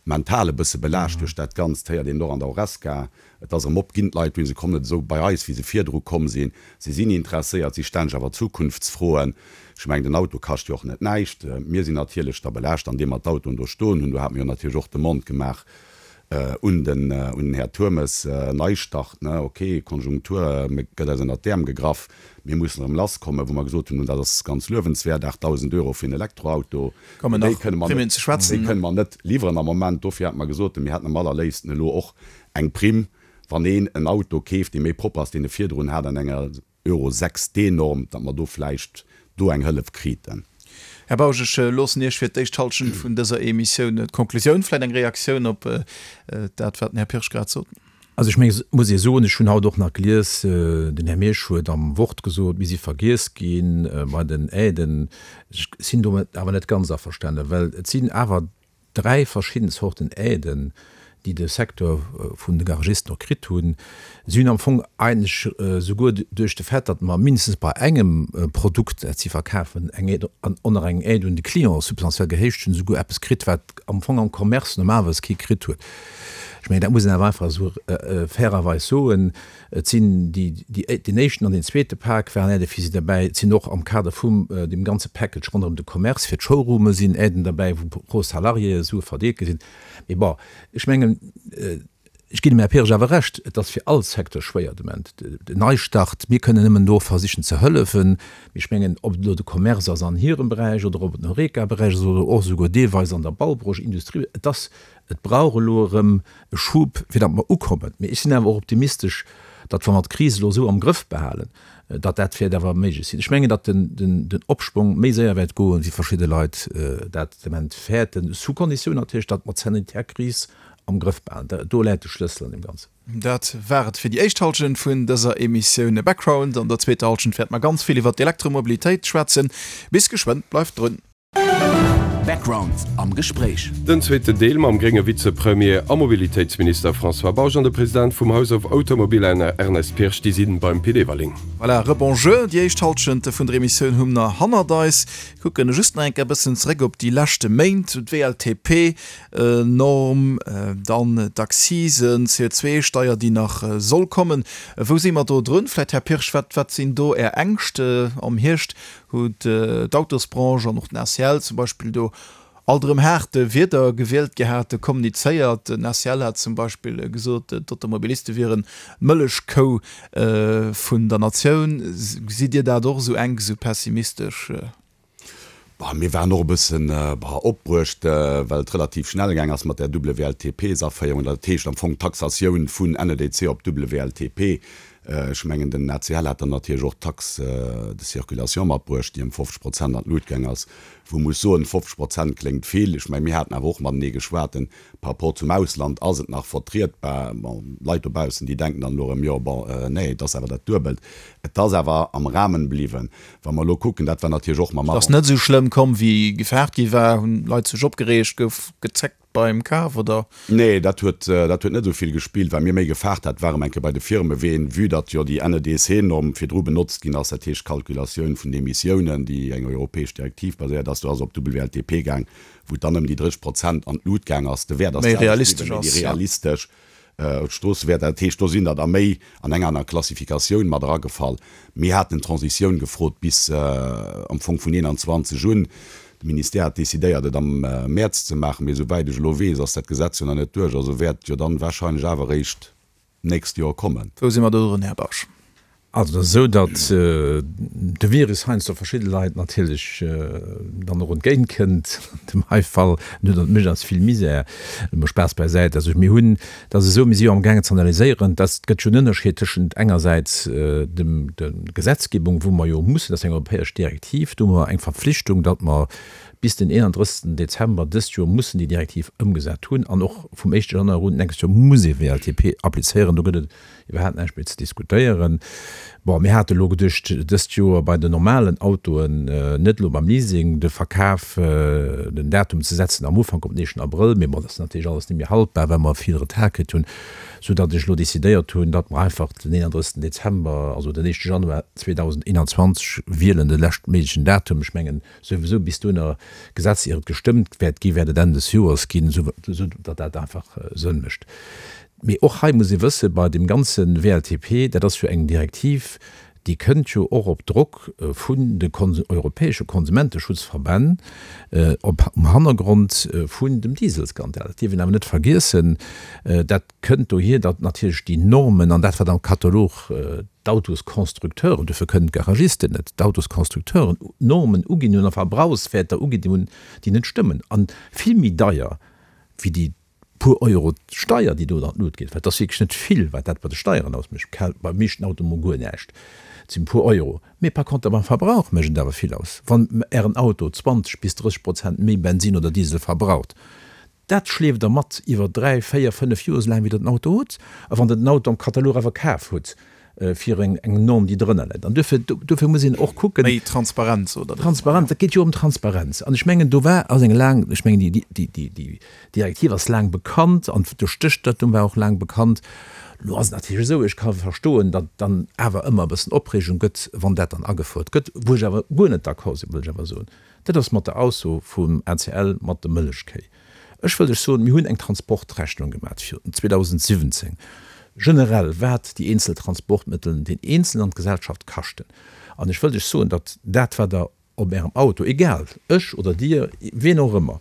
mental e bësse belaascht duerch dat Ganzt, héiert een och an der Horesca. Et ass erëm op ginn, d'Leit hunn, se kommen net esou bei eis, wéi se virdru komm sinn. Se sinn interesséiert, si stellen sech awer Zukunftsfroen. Ech mengen, den Auto kascht jo och net näischt. Mir sinn natierlech da belaascht, andeem mer d'Autoen do stoen hunn. Do hate mir jo natierlech och d'Demande gemaach, Un den un den Här Turmes, Neistart, ne, ok, Konjunktur gëtt eis ënnert d'Äerm gegraff, mir mussen erëm lasskommen, wou mer gesot hunn, dat ass ganz luewenswäert, 8.000 Euro fir en Elektroauto, Kommen déi nach kënne mer Primen net, ze déi schwätzen. kënne mer net liwweren am Moment. Dofir hate mer gesot, mir hätten am allerléifsten elo och eng Primm, wann een en Auto keeft, dee méi propper ass, deen e virdrun hat an enger Euro 6 D-Norm, datt mer do vläicht do eng Hëllef kriten. Här Bausch, ech loossen Iech fir d'éischt Halschent vun dëser Emissioun d'Konklusioun, vläicht eng Reaktioun op dat, wat den Här Pirsch grad sot. Also ech mengen, et muss ee soen, ech hunn haut och nach gelies, den Här Meisch huet am Wort gesot, mir si vergiess gi bei den Aiden. Ech sinn domat awer net ganz averstanen, well et sinn awer 3 verschidden Zorten Aiden. déi de Secteur vun de Garagisten och kritt hunn. Si hunn am Fong eigentlech souguer duerch de Fait, datt mer mindestens bei engem Produkt, dat si verkafen, eng Aide an och nach eng Aide un de Client substantiell gehéicht hunn, souguer eppes kritt, wat am Fong am Commerce normalerweis kee kritt huet. Ech mengen, dat muss een awer einfach esou fairerweis soen. Et sinn déi, déi, deen éischten an deen zweete Pak waren Aidë fir si derbäi. Et sinn och am Kader vum deem ganze Package ronderëm de Commerce fir d'Showroome sinn Aiden derbäi, wou pro Salarié Sue verdeelt gi sinn. Mee bon, ech mengen, ech ginn dem Här Pirsch awer Recht, et ass fir all Secteur schwéier de Moment. Den Neistart, mir kënnen nëmmen do versichen ze hëllefen. Mee ech mengen, ob et elo de Commerce ass an hirem Beräich oder ob et den Horeca-Beräich ass oder och esouguer deelweis an der Baubranche, Industrie, et ass, et brauch elo erëm e Schub, fir datt mer ukommen. Mee ech sinn awer och optimistesch, datt, wa mer d'Kris elo esou am Grëff behalen, datt dat wäert awer méiglech sinn. Ech mengen, datt den Opschwong méi séier wäert goen, wéi verschidde Leit dat de Moment fäerten, sous Konditioun natierlech, datt mer d'sanitär Kris am Grëff behalen. Do läit de Schlëssel an deem Ganzen. Dat war et fir déi éischt Hallschent vun dëser Emissioun Background. An der zweeter Hallschent wäerte mer ganz vill iwwer d'Elektromobilitéit schwätzen. Bis geschwënn, bleift drun! Background am Gespréich. Den zweeten Deel mam grénge Vizepremier a Mobilitéitsminister François Bausch an de President vum House of Automobile Ernest Pirsch, déi si beim Pit Everling. Voilà, Rebonjour. Déi éischt Hallschent vun der Emissioun hu mer hannert eis. Kucken just nach eng Kéier e bëssen zeréck op déi leschte Méint, d'WLTP-Norm, dann d'Accisen, d'CO2-Steier, déi nach soll kommen. Wou si mer do drun? Vläicht, Här Pirsch, wat, wat sinn do Är Ängscht am Hierscht? huet d'Autosbranche an och den ACL zum Beispill do alt erëm haart Wierder gewielt gehat, kommunizéiert. Den ACL hat zum Beispill gesot, d'Automobiliste wieren d'Mëllechkou vun der Natioun. Gesitt Dir dat och esou enk, esou pessimistesch? Bah, mir waren och e bëssen opbruecht, well et relativ schnell gaang ass mat där WLTP-Aféierung, dat heescht am Fong d'Taxatioun vun NEDC op WLTP. Ech mengen, den ACL hat dann natierlech och d'Taxe de circulation matbruecht, déi ëm 50 Prozent an d'Lut gaang ass, wou muss soen, 50 Prozent kléngt vill. Ech mengen, mir haten awer och matenee geschwat, par rapport zum Ausland ass et nach vertrietbar. Bon, Leit dobaussen, déi denken dann elo erëm, jo, bon, nee, et ass awer dat Duebelt. Et ass awer am Rahmen bliwwen. Wa mer elo kucken, dat war natierlech och mam. Et ass net esou schlëmm komm, wéi gefaart gi war. Hunn Leit sech opgereegt, gouf gezeckt beim Kaf, oder? Nee, dat huet, dat huet net esou vill gespillt. Wat mir méi gefaart hat, war erëm eng Kéier bei de Firme ween, vue datt jo déi NEDC-Norm virdru benotzt ginn ass, dat heescht d'Calculatioun vun de Emissiounen, déi eng europäesch Direktiv baséiert ass, do ass op WLTP gaang, wou et dann ëm déi 30 Prozent an d'Lut gaang ass. De Wäert ass Méi d'selwecht realistesch bliwwen, mee déi ass, ja. realistesch Stroossewäerter. Dat heescht, do sinn der da méi an eng aner Klassifikatioun mat eragefall. Mir haten d'Transitioun gefrot bis am Fong vun 21 un. De Ministère hat decidéiert, et am Mäerz ze maachen, mee esouwäit ech elo weess, ass dat Gesetz jo nach net duerch. Also wäert et jo dann wahrscheinlech awer eréischt d'nächst Joer kommen. Wou si mer do drun, Här Bausch? Also et ass esou, datt de Virus heiansdo verschidde Leit natierlech dann och entgéint kënnt. An dem hei Fall, en huet an mécht eis vill Misär. Emol Spaass bäisäit, also mir hunn, et ass esou, mir si jo amgaangen ze analyséieren, dass et gëtt jo en Ënnerscheed tëschent engersäits dem der Gesetzgebung, wou mer jo mussen, dat ass eng europäesch Direktiv, do hu mer eng Verpflichtung, datt mer bis den 31. Dezember dëst Joer mussen déi Direktiv ëmgesat hunn an och vum éischte Januar un d'nächst Joer muss ee WLTP applizéieren. Do gëtt et Iwwerhaapt näischt méi ze diskutéieren. Bon, mir hate lo geduecht, dëst Joer bei den normalen Autoen, net elo beim Leasing, de Verkaf, den Datum ze setzen am Ufank op den éischten Abrëll. Mee bon, dat ass natierlech alles net méi haltbar, well mer vill Retard kritt hunn, soudatt ech elo decidéiert hunn, datt mer einfach den 31. Dezember, also den éischte Januar 2021 wielen, de leschtméiglechen Datum. Ech mengen, souwisou bis dohinner Gesetz ier et gestëmmt wäert ginn, wäert et Enn des Joers ginn, esou datt dat einfach Sënn mécht. Mee och hei muss ee wëssen, bei deem ganze WLTP, dat ass jo eng Direktiv, déi kënnt jo och op Drock vun de europäesche Konsumenteschutzverbänn, op um Hannergrond vun dem Dieselskandal. Dat dierf een awer net vergiessen. Dat kënnt dohier, datt natierlech déi Normen an dat, wat am Katalog d'Autosconstructeuren, dofir kënnen d'Garagisten net, d'Autosconstructeuren Normen uginn hunn a Verbrauchswäerter uginn hunn, déi net stëmmen a vill méi deier wéi déi puer Euro Steier, déi do an d'Lut geet, well et ass wierklech net vill, wat dat bei de Steieren ausmécht, beim meeschten Auto mol guer näischt, et sinn e puer Euro, mee par conter beim Verbrauch mécht et awer vill aus, wann Ären Auto 20 bis 30 Prozent méi Bensin oder Diesel verbraucht. Dat schleeft Der mat iwwer 3, 4, 5 Joer, esou laang wéi Der den Auto hutt. A wann Der den Auto am Katalog awer kaf hutt. fir eng Norm, déi drënner läit. An duerfir, duerfir muss een och kucken. Méi Transparenz, oder? Transparenz, et geet jo ëm Transparenz. An ech mengen, do war, ass eng laang, ech mengen, déi, déi, déi, déi Direktiv ass laang bekannt an de Stéchdatum war och laang bekannt. Elo ass et natierlech esou, ech ka verstoen, datt dann awer ëmmer e bëssen Opreegung gëtt, wann dat dann agefouert gëtt. Wou ech awer guer net d'accord sinn, wëll ech awer soen, dat ass mat der Ausso vum ACL mat de Mëllechkéi. Ech wëll lech soen, mir hunn eng Transportrechnung gemat fir 2017, generell wat déi eenzel Transportmëttel den Eenzelen an d'Gesellschaft kaschten. An ech wëll lech soen, datt dat, wat Der op Ärem Auto, egal, ech oder Dir, wien och ëmmer,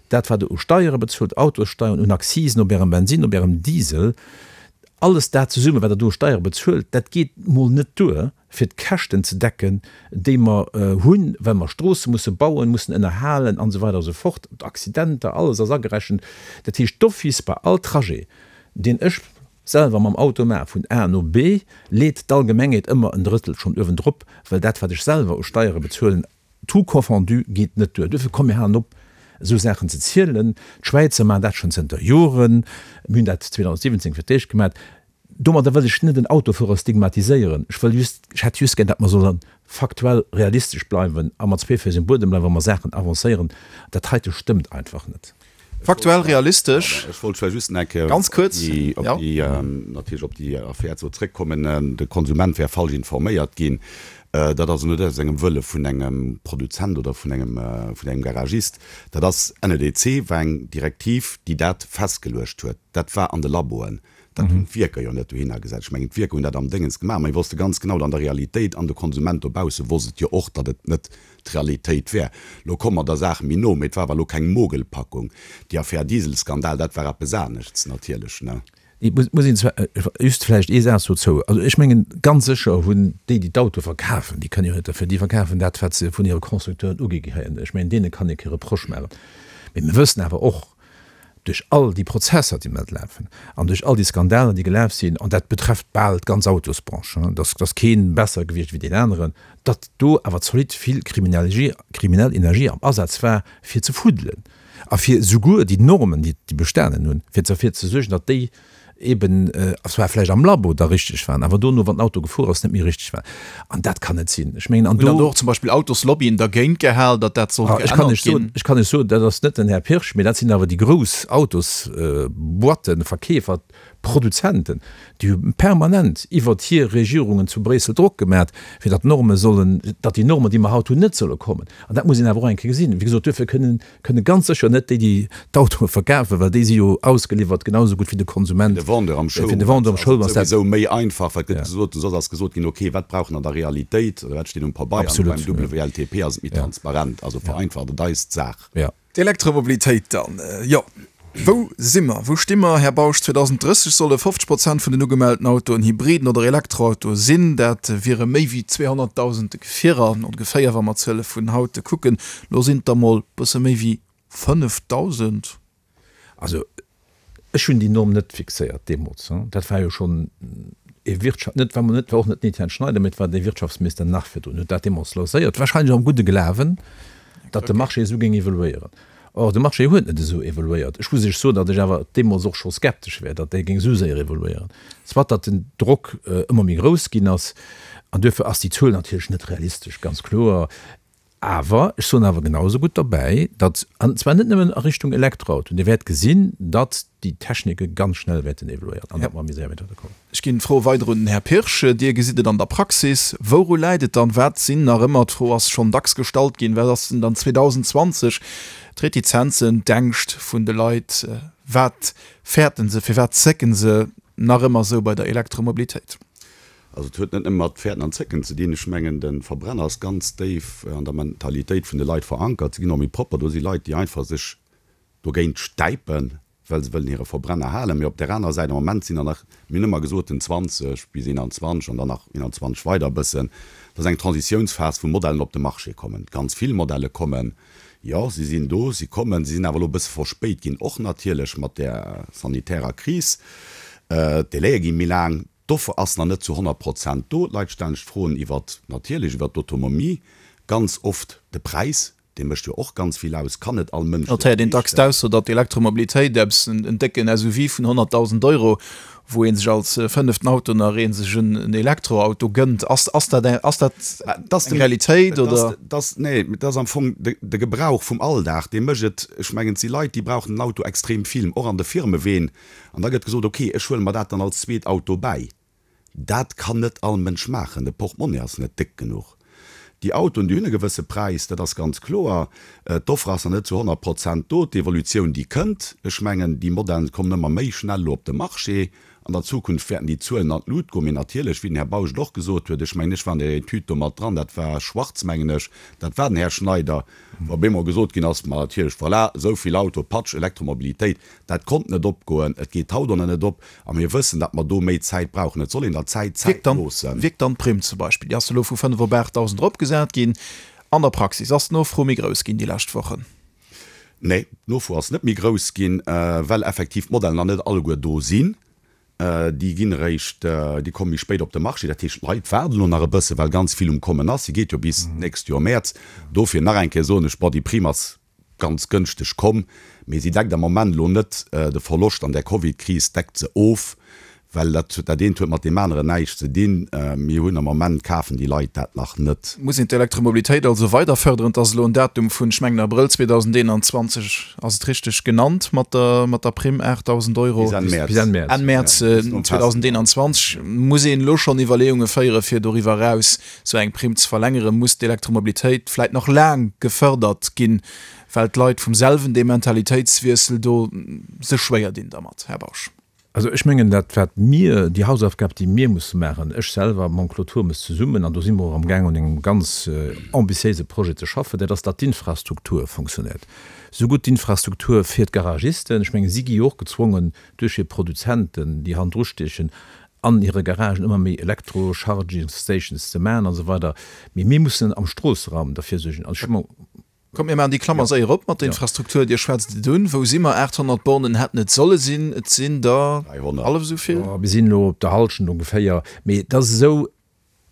dat wat Der u Steiere bezuelt, Autossteieren, un Accisen op Ärem Bensinn, op Ärem Diesel, alles dat zesummen, wat Der do u Steiere bezuelt, dat geet mol net duer, fir d'Käschten ze decken, déi mer hunn, well mer Stroosse musse bauen, mussen ënnerhalen an esou weider a sou fort, d'Accidenter, alles ass agerechent. Dat heescht, d'office bei all Trajet, deen ech selwer mam Auto maache vun A no B, leet d'Allgemengheet ëmmer en Drëttel schonn uewendrop, well dat, wat ech selwer u Steiere bezuelen, tout confondu, geet net duer. Duerfir, komm mir halen op, esou Saachen ze zielen. D'Schwäizer maachen dat schonn zënter Joren. Mir hunn dat 2017 fir d'éischt gemaach. Domadder wëll ech net en Autofuerer stigmatiséieren. Ech wëll just, ech hätt just gär, datt mer solle faktuell realistesch bleiwen a mat zwee Féiss um Buedem bleiwen, wa mer Saachen avancéieren. Dat heite stëmmt einfach net. Faktuell realistesch. Ech wollt vläicht just nach eng Kéier Ganz kuerz, op déi, natierlech op déi Affär do zrëckkommen. De Konsument wär falsch informéiert ginn. Dat ass net aus engem Wëlle vun engem Produzent oder vun engem, vun engem Garagist. Dat ass, NEDC war eng Direktiv, déi dat festgeluecht huet. Dat war an de Laboen. Dat hunn d'Wierker jo net dohinner gesat. Ech mengen, d'Wierker hunn dat am Déngens gemaach, mä wosste ganz genau, an der Realitéit, an de Konsument dobausse wosst et jo och, datt et net d'Realitéit wär. Lo komme mer der Saach méi no, mä et war awer elo keng Mogelpackung. Déi Affär Dieselskandal, dat war eppes aneschts natierlech, ne? Et muss een zwar just vläicht ee Saz dozou, also ech mengen, ganz sécher hunn déi, déi d'Autoe verkafen, déi kënnen jo net derfir, déi verkafen dat, wat se vun hire Constructeuren ugi kréien. Ech mengen, deene kann ee kee Reproche maachen. Mee mir wëssen awer och, duerch all déi Prozesser, déi mat lafen, an duerch all déi Skandaler, déi gelaf sinn, an dat betrefft bal d'ganz Autosbranche, dass ass kee besser gewiescht wéi deen aneren, datt do awer zolidd vill kriminell Energie am Asaz war, fir ze fuddelen a fir souguer déi Normen, déi bestanen hunn, fir derfir ze suergen, datt déi eben zwar vläicht am Labo da richteg waren, awer dono, wann den Auto gefuer ass, net méi richteg waren. An dat kann net sinn. Ech mengen, an do. Hunn dann do och zum Beispill Autoslobbyen dergéint gehal, datt dat sollt geännert ginn? Ech kann lech soen, dat ass net den Här Pirsch, mee dat sinn awer déi grouss Autosboîten, Verkeefer, Produzenten, déi hu permanent iwwert hir Regierungen zu Bréissel Drock gemat, fir datt d'Norme sollen, datt déi Normen, déi mer haut hunn, net solle kommen. An dat muss een awer och eng Kéier gesinn. Wéi gesot, duerfir kënnen Kënne ganz sécher net déi, déi d'Autoe verkafen, well déi si jo ausgeliwwert, genau esou gutt wéi de Konsument. Fir de Vendeur am Showroom, fir de Vendeur am Showroom ass dat souwisou méi einfach, well et gëtt gesot, soss ass gesot ginn, okay, wat brauch en an der Realitéit oder wat steet um Pabeier, an beim WLTP ass et méi transparent, also vereinfacht et eis d'Saach. D'Elektromobilitéit dann, jo. Wou si mer? Wou sti mer, Här Bausch? 2030 solle 50 Prozent vun den ugemellten Autoen Hybriden oder Elektroautoe sinn. Dat wiere méi wéi 200.000 Gefierer ongeféier, wa mer d'Zuele vun haut kucken. Lo sinn et der mol bësse méi wéi 5.000. Also ech hunn déi Norm net fixéiert deemools. Dat war jo schonn e Wirtschaft, net war net war och net den Etienne Schneider, mee et war dee Wirtschaftsminister nach virdrun, huet dat deemools lancéiert, wahrscheinlech am gudde Glawen, datt de Marché esou géing evoluéieren. Or, de Marché huet net esou evoluéiert. Ech muss Iech soen, datt ech awer deemools och scho skeptesch war, datt dee géing esou séier evoluéieren. Soit datt den Drock ëmmer méi grouss ginn ass, an duerfir ass déi Zuel natierlech net realistesch, ganz kloer. Awer ech soen awer genau esou gutt derbäi, datt, an zwar net nëmmen a Richtung Elektroauto, Dir wäert gesinn, datt déi Technike ganz schnell wäerten evoluéieren an datt mer méi séier wäerte kommen. Ech ginn d'Fro weider un den Här Pirsch. Dir gesitt et an der Praxis. Wouru läit et dann? Wat sinn nach ëmmer, d'Fro ass schonn dacks gestallt ginn, wat ass denn dann 2020 d'Retizenzen, d'Ängscht vun de Leit? Wat fäerten se, firwat zécken se nach ëmmer esou bei der Elektromobilitéit? Also et huet net nëmme mat Fäerten an Zécken ze dinn. Ech mengen, de Verbrenner ass ganz déif an der Mentalitéit vun de Leit verankert. Se ginn och méi propper. Do si Leit, déi einfach sech dogéint stäipen, well se wëllen hire Verbrenner halen. Mee op där anerer Säit, am Moment sinn der nach, mir hunn ëmmer gesot, den 20 bis 21 an dann nach 21 weider e bëssen, dat ass eng Transitiounsphas, wou Modellen op de Marché kommen, ganz vill Modelle kommen. Jo, si sinn do, si kommen, si sinn awer elo e bësse verspéit ginn, och natierlech mat där sanitärer Kris. D'Délaië gi méi laang, d'Offer ass nach net zu 100 Prozent do. D'Leit stellen sech Froen iwwert, natierlech iwwert d'Autonomie, ganz oft de Präis. Dee mécht jo och ganz vill aus, kann net all Mënsch Et héiert een dacks d'Ausso, datt d'Elektromobilitéit eppes en décken SUV vun 100.000 Euro. Wou ee sech als fënneften Auto nach ee sech en Elektroauto gënnt. Ass, ass dat, ass dat eng Realitéit oder? Dat, nee, dat ass am Fong de, de Gebrauch vum Alldag, dee mécht et. Ech mengen, et si Leit, déi brauchen den Auto extrem vill, och an de Firmeween. An da gëtt gesot, okay, ech huele mer dat dann als zweet Auto bäi. Dat kann net all Mënsch maachen, de Portemonnaie ass net déck genuch. Déi Autoen, déi hunn e gewësse Präis, dat ass ganz kloer. D'Offre ass nach net zu 100 Prozent do. D'Evolutioun, déi kënnt. Ech mengen, déi Modellen kommen ëmmer méi schnell elo op de Marché. An der Zukunft wäerten déi Zuelen an d'Lut goen. Mee natierlech, wéi den Här Bausch et och gesot huet, ech mengen, ech war an där Etüd do mat dran, dat war Schwarz, mengen ech, dat war den Här Schneider, wou op eemol gesot ginn ass, ma natierlech, voilà, esou vill Auto, patsch, Elektromobilitéit. Dat konnt net opgoen, et geet haut och nach net op a mir wëssen, datt mer do méi Zäit brauchen. Et soll een der Zäit Zäit loossen. Wierkt dann d'Primm zum Beispill, déi ass elo vu 5 op 8.000 eropgesat ginn, an der Praxis? Ass d'Nofro méi grouss ginn déi lescht Wochen? Nee, d'Nofro ass net méi grouss ginn, well effektiv d'Modellen nach net alleguer do sinn. Déi ginn eréischt, déi komme méi spéit op de Marché. Dat heescht, d'Leit waarden elo nach e bësse well ganz vill um Kommen ass. Si geet jo bis d'nächst Joer Mäerz. Dofir nach eng Kéier soen ech, bon, déi Primm ass ganz gënschteg komm, mee si deckt am Moment elo net de Verloscht an där Covid-Kris, deckt se of, well dat dat eent huet mat deem aneren näischt ze dinn. Mir hunn am Moment, kafen déi Leit dat nach net. Muss een d'Elektromobilitéit also weider fërderen? Et ass elo en Datum vun, ech mengen Abrëll 2021 ass et richteg genannt mat der mat der Primm 8.000 Euro. Bis Enn Mäerz. Bis Enn Mäerz. Enn Mäerz 2021. Muss een elo schonn Iwwerleeunge féiere fir doriwwer eraus Sou eng Primm ze verlängeren, muss d'Elektromobilitéit vläit nach laang gefërdert ginn, well d'Leit vum selwen dee Mentalitéitswiessel do sech schwéier dinn dermat, Här Bausch. Also ech mengen, dat wat mir, déi Hausaufgab déi mir musse maachen, ech selwer mam Claude Turmes zesummen, an do si mer och amgaang un engem ganz ambitiéise Projet ze schaffen, dat ass, datt d'Infrastruktur fonctionnéiert. Sougutt d'Infrastruktur fir d'Garagisten, ech menge si gi jo och gezwongen duerch hir Produzenten, déi hannendru stiechen, an hire Garagen ëmmer méi Elektro-Charging Stations ze maachen an esou weider. Mee mir mussen am Stroosseraum derfir suergen. Also ech hu mer. Kommt, mir maachen déi Klammer séier op mat der Infrastruktur. Dir schwätzt et un. Wou si mer? 800 Bornen hätten et solle sinn. Et sinn der hallef esou vill. Jo, mir sinn elo op der Hallschent ongeféier. Mee et ass esou,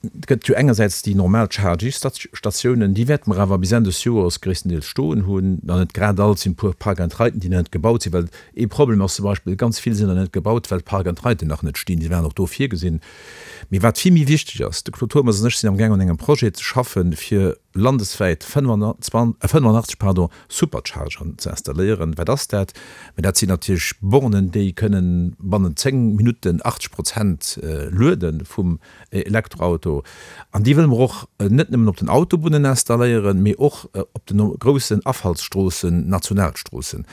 Et gëtt jo engersäits déi normal Chargy-Statiounen, déi wäerte mer awer bis Enn des Joers gréisstendeels stoen hunn, nach net grad all, et sinn e puer Park-and-Riden, déi nach net gebaut sinn, well ee Problem ass zum Beispill, ganz vill sinn nach net gebaut, well d'Park-and-Riden nach net stinn, déi waren och do virgesinn. Mee wat vill méi wichteg ass, de Claude Turmes an ech sinn amgaang un engem Projet ze schaffen, fir landeswäit 85 pardon, Superchargeren ze installéieren. Wat ass dat? Mä dat sinn natierlech Bornen, déi kënnen bannent 10 Minutten 80 Prozent luede vum Elektroauto. An déi wëlle mer och net nëmmen op den Autobunnen installéieren, mee och op de groussen Afallsstroossen, Nationalstroossen.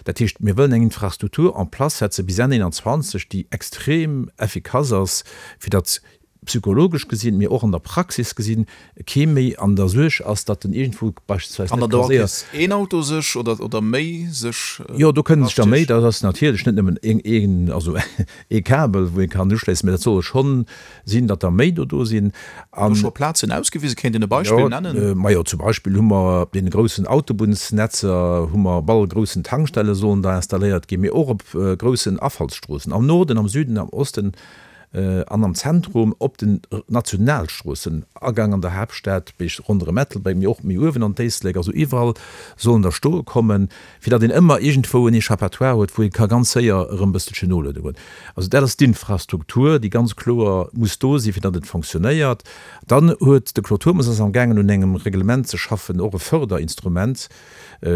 Dat heescht, mir wëllen eng Infrastruktur en place setze bis Enn 21, déi extrem effikass ass, fir datt psychologesch gesinn, mee och an der Praxis gesinn, kee méi an der Suerg ass, datt en iergendwou beispillsweis net ka séier. Een Auto sech oder oder méi sech. Jo, do kënnen sech der méi. Dat ass natierlech net nëmmen een, een, also ee Kabel, wou ee kann uschléissen, mä dat solle schonn sinn, datt der méi do do sinn. An. Do scho Plazen ausgewisen? Kéint een e Beispill nennen? Jo, majo, zum Beispill hu mer op deene groussen Autobunnsnetzer hu mer op alle groussen Tankstelle sollen der installéiert ginn, mee och op groussen Afallsstroossen am Norden, am Süden, am Osten an am Zentrum, op den Nationalstroossen, Agang an der Haaptstad, bis ronderëm Ettelbréck, mee och méi uewen an d'Éislek, also iwwerall sollen der stoe kommen, fir datt een ëmmer iergendwou en Échappatoire huet, wou ee ka ganz séier erëm e bësselchen noluede goen. Also dat ass d'Infrastruktur, déi ganz kloer muss do sinn, fir datt et fonctionnéiert. Dann huet de Claude Turmes ass amgaangen un engem Reglement ze schaffen, och e Förderinstrument,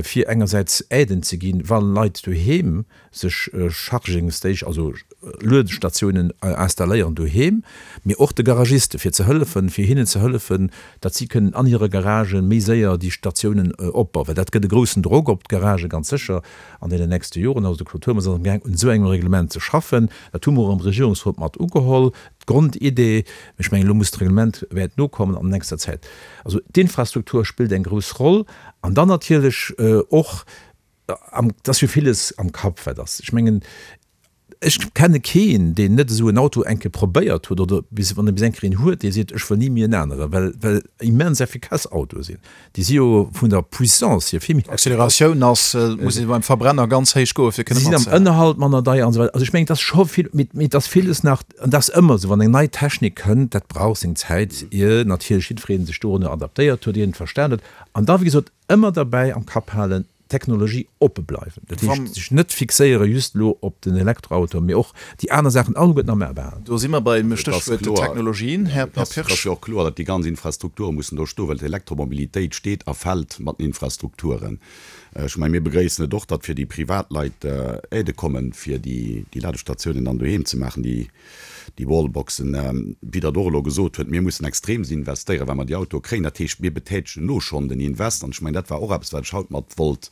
fir engersäits Aiden ze ginn, wa Leit doheem sech Charging Station, also Luedstatiounen installéieren doheem, mee och de Garagiste fir ze hëllefen, fir hinnen ze hëllefen, datt si kënnen an hire Garagë méi séier déi Statiounen opbauen, well dat gëtt e groussen Drock op d'Garagë ganz sécher an deenen nächste Joren. Also de Claude Turmes ass amgaang un esou engem Reglement ze schaffen. Dat hu mer och am Regierungsrot mat ugeholl, d'Grondidee. Ech mengen, elo muss d'Reglement wäert nokommen an nächster Zäit. Also d'Infrastruktur spillt eng grouss Roll an dann natierlech och Et ass jo villes am Kapp, wat ass. Ech mengen, ech kenne keen, deen net esou en Auto eng Kéier probéiert huet oder bis, wann e bis eng Kéier een huet, dee seet, ech wëll ni méi en aneren, well, well immens effikass Autoe sinn. Déi si jo vun der Puissance hier vill méi effikass. D'Acceleratioun ass, muss ee beim Verbrenner ganz héich goe fir kënne Si sinn am matzehalen. Ënnerhalt manner deier an esou weider. Also ech mengen, et ass scho vill, mee, mee et ass villes nach, an dat ass ëmmer esou, wann eng nei Technik kënnt, dat brauch seng Zäit, ier natierlech jiddweree sech dorunner adaptéiert huet, ier en et verstan huet. An da, wéi gesot, ëmmer derbäi am Kapp halen,. Technologie oppe bleiwen. Dat heescht, sech net fixéiere just elo op den Elektroauto, mee och déi aner Saachen alleguerten am A behalen. Do si mer beim Stéchwuert Technologien, Här Pirsch. Et ass jo och kloer, datt déi ganz Infrastrukture mussen do stoen, well d'Elektromobilitéit steet a fält mat den Infrastrukturen. Ech mengen, mir begréissen et och, datt fir déi Privatleit Aidë kommen, fir déi Ladestatiounen dann doheem ze maachen, déi Wallboxen. Wéi Der et och elo gesot huet, mir mussen extreemst investéieren, well mer déi Autoe kréien. Dat heescht, mir betätegen elo schonn den Invest. An ech mengen, dat war och eppes, wat ech haut mat wollt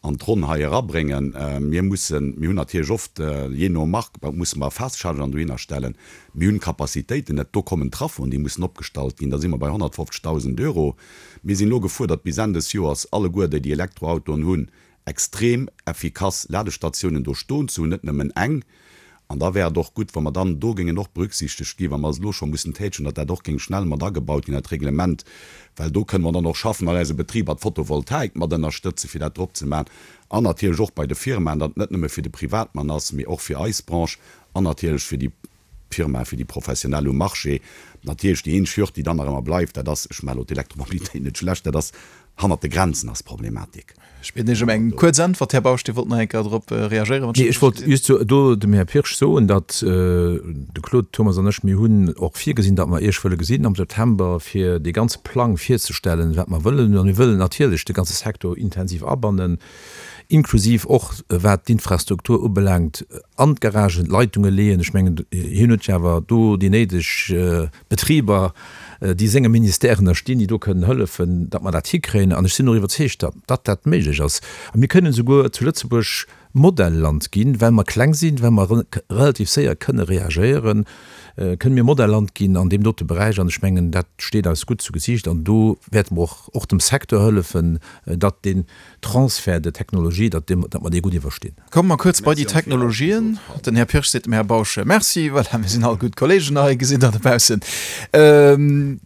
an d'Ronn hei erabréngen. Mir mussen, mir hunn natierlech oft, jee no Mark, musse mer Fast-Chargern dohinner stellen. Mir hunn d'Capacitéiten net. Do kommen Trafoen, déi mussen opgestallt ginn. Da si mer bei 150.000 Euro. Mir sinn elo gefuerdert, bis Enn des Joers alleguer, déi déi Elektroautoen hunn, extrem effikass Ladestatiounen do stoen ze hunn, net nëmmen eng. An da wär et och gutt, wa mer dann do géingen och berücksichtegt ginn, wa mer es elo scho mussen tätschen, datt dat och géing schnell mat agebaut ginn, dat Reglement, well do kënne mer dann och schaffen an eise Betriber d'Photovoltaik mat ënnerstëtzen, fir dat drop ze maachen, an natierlech och bei de Firmaen, datt et net nëmme fir de Privatmann ass, mee och fir eis Branche an natierlech fir déi Firmae fir déi Professionell um Marché. Natierlech déi eenzeg Hürd, déi dann nach ëmmer bleift, dat ass, ech maache elo d'Elektromobilitéit net schlecht, dat ass, hannert de Grenzen ass d'Problematik. Ech bieden Iech ëm eng kuerz Äntwert, Här Bausch, Dir wollt nach eng Kéier drop reagéieren, wann ech dat Nee, ech ech wollt just do dem Här Pirsch soen, datt de Claude Turmes an ech, mir hunn och virgesinn, datt mer Iech wëlle gesinn am September, fir dee ganze Plang virzestellen, wat mer wëllen. A mir wëllen natierlech de ganze Secteur intensiv abannen. inklusiv och wat d'Infrastruktur ubelaangt, an d'Garagen d'Leitunge leeën. Ech mengen, hien huet jo awer do déi néideg Betriber, déi senge Ministère ënnerstinn, déi do kënnen hëllefen, datt mer dat hikréien. An ech sinn och iwwerzeegt, datt datt dat méiglech ass. A mir kënnen esouguer zu Lëtzebuerg Modellland ginn, well mer kleng sinn, well mer relativ séier kënne reagéieren, kënne mir Modellland ginn an deem dote Beräich. An ech mengen, dat steet eis gutt zu Gesiicht. An do wäerte mer och och dem Secteur hëllefen, datt deen Transfert de technologie, datt datt mer dee gutt iwwerstinn. Komme mer kuerz bei déi Technologien. Den Här Pirsch seet dem Här Bausch Merci. Voilà, mir sinn all gutt Kolleegen hei, gesitt Der dobaussen.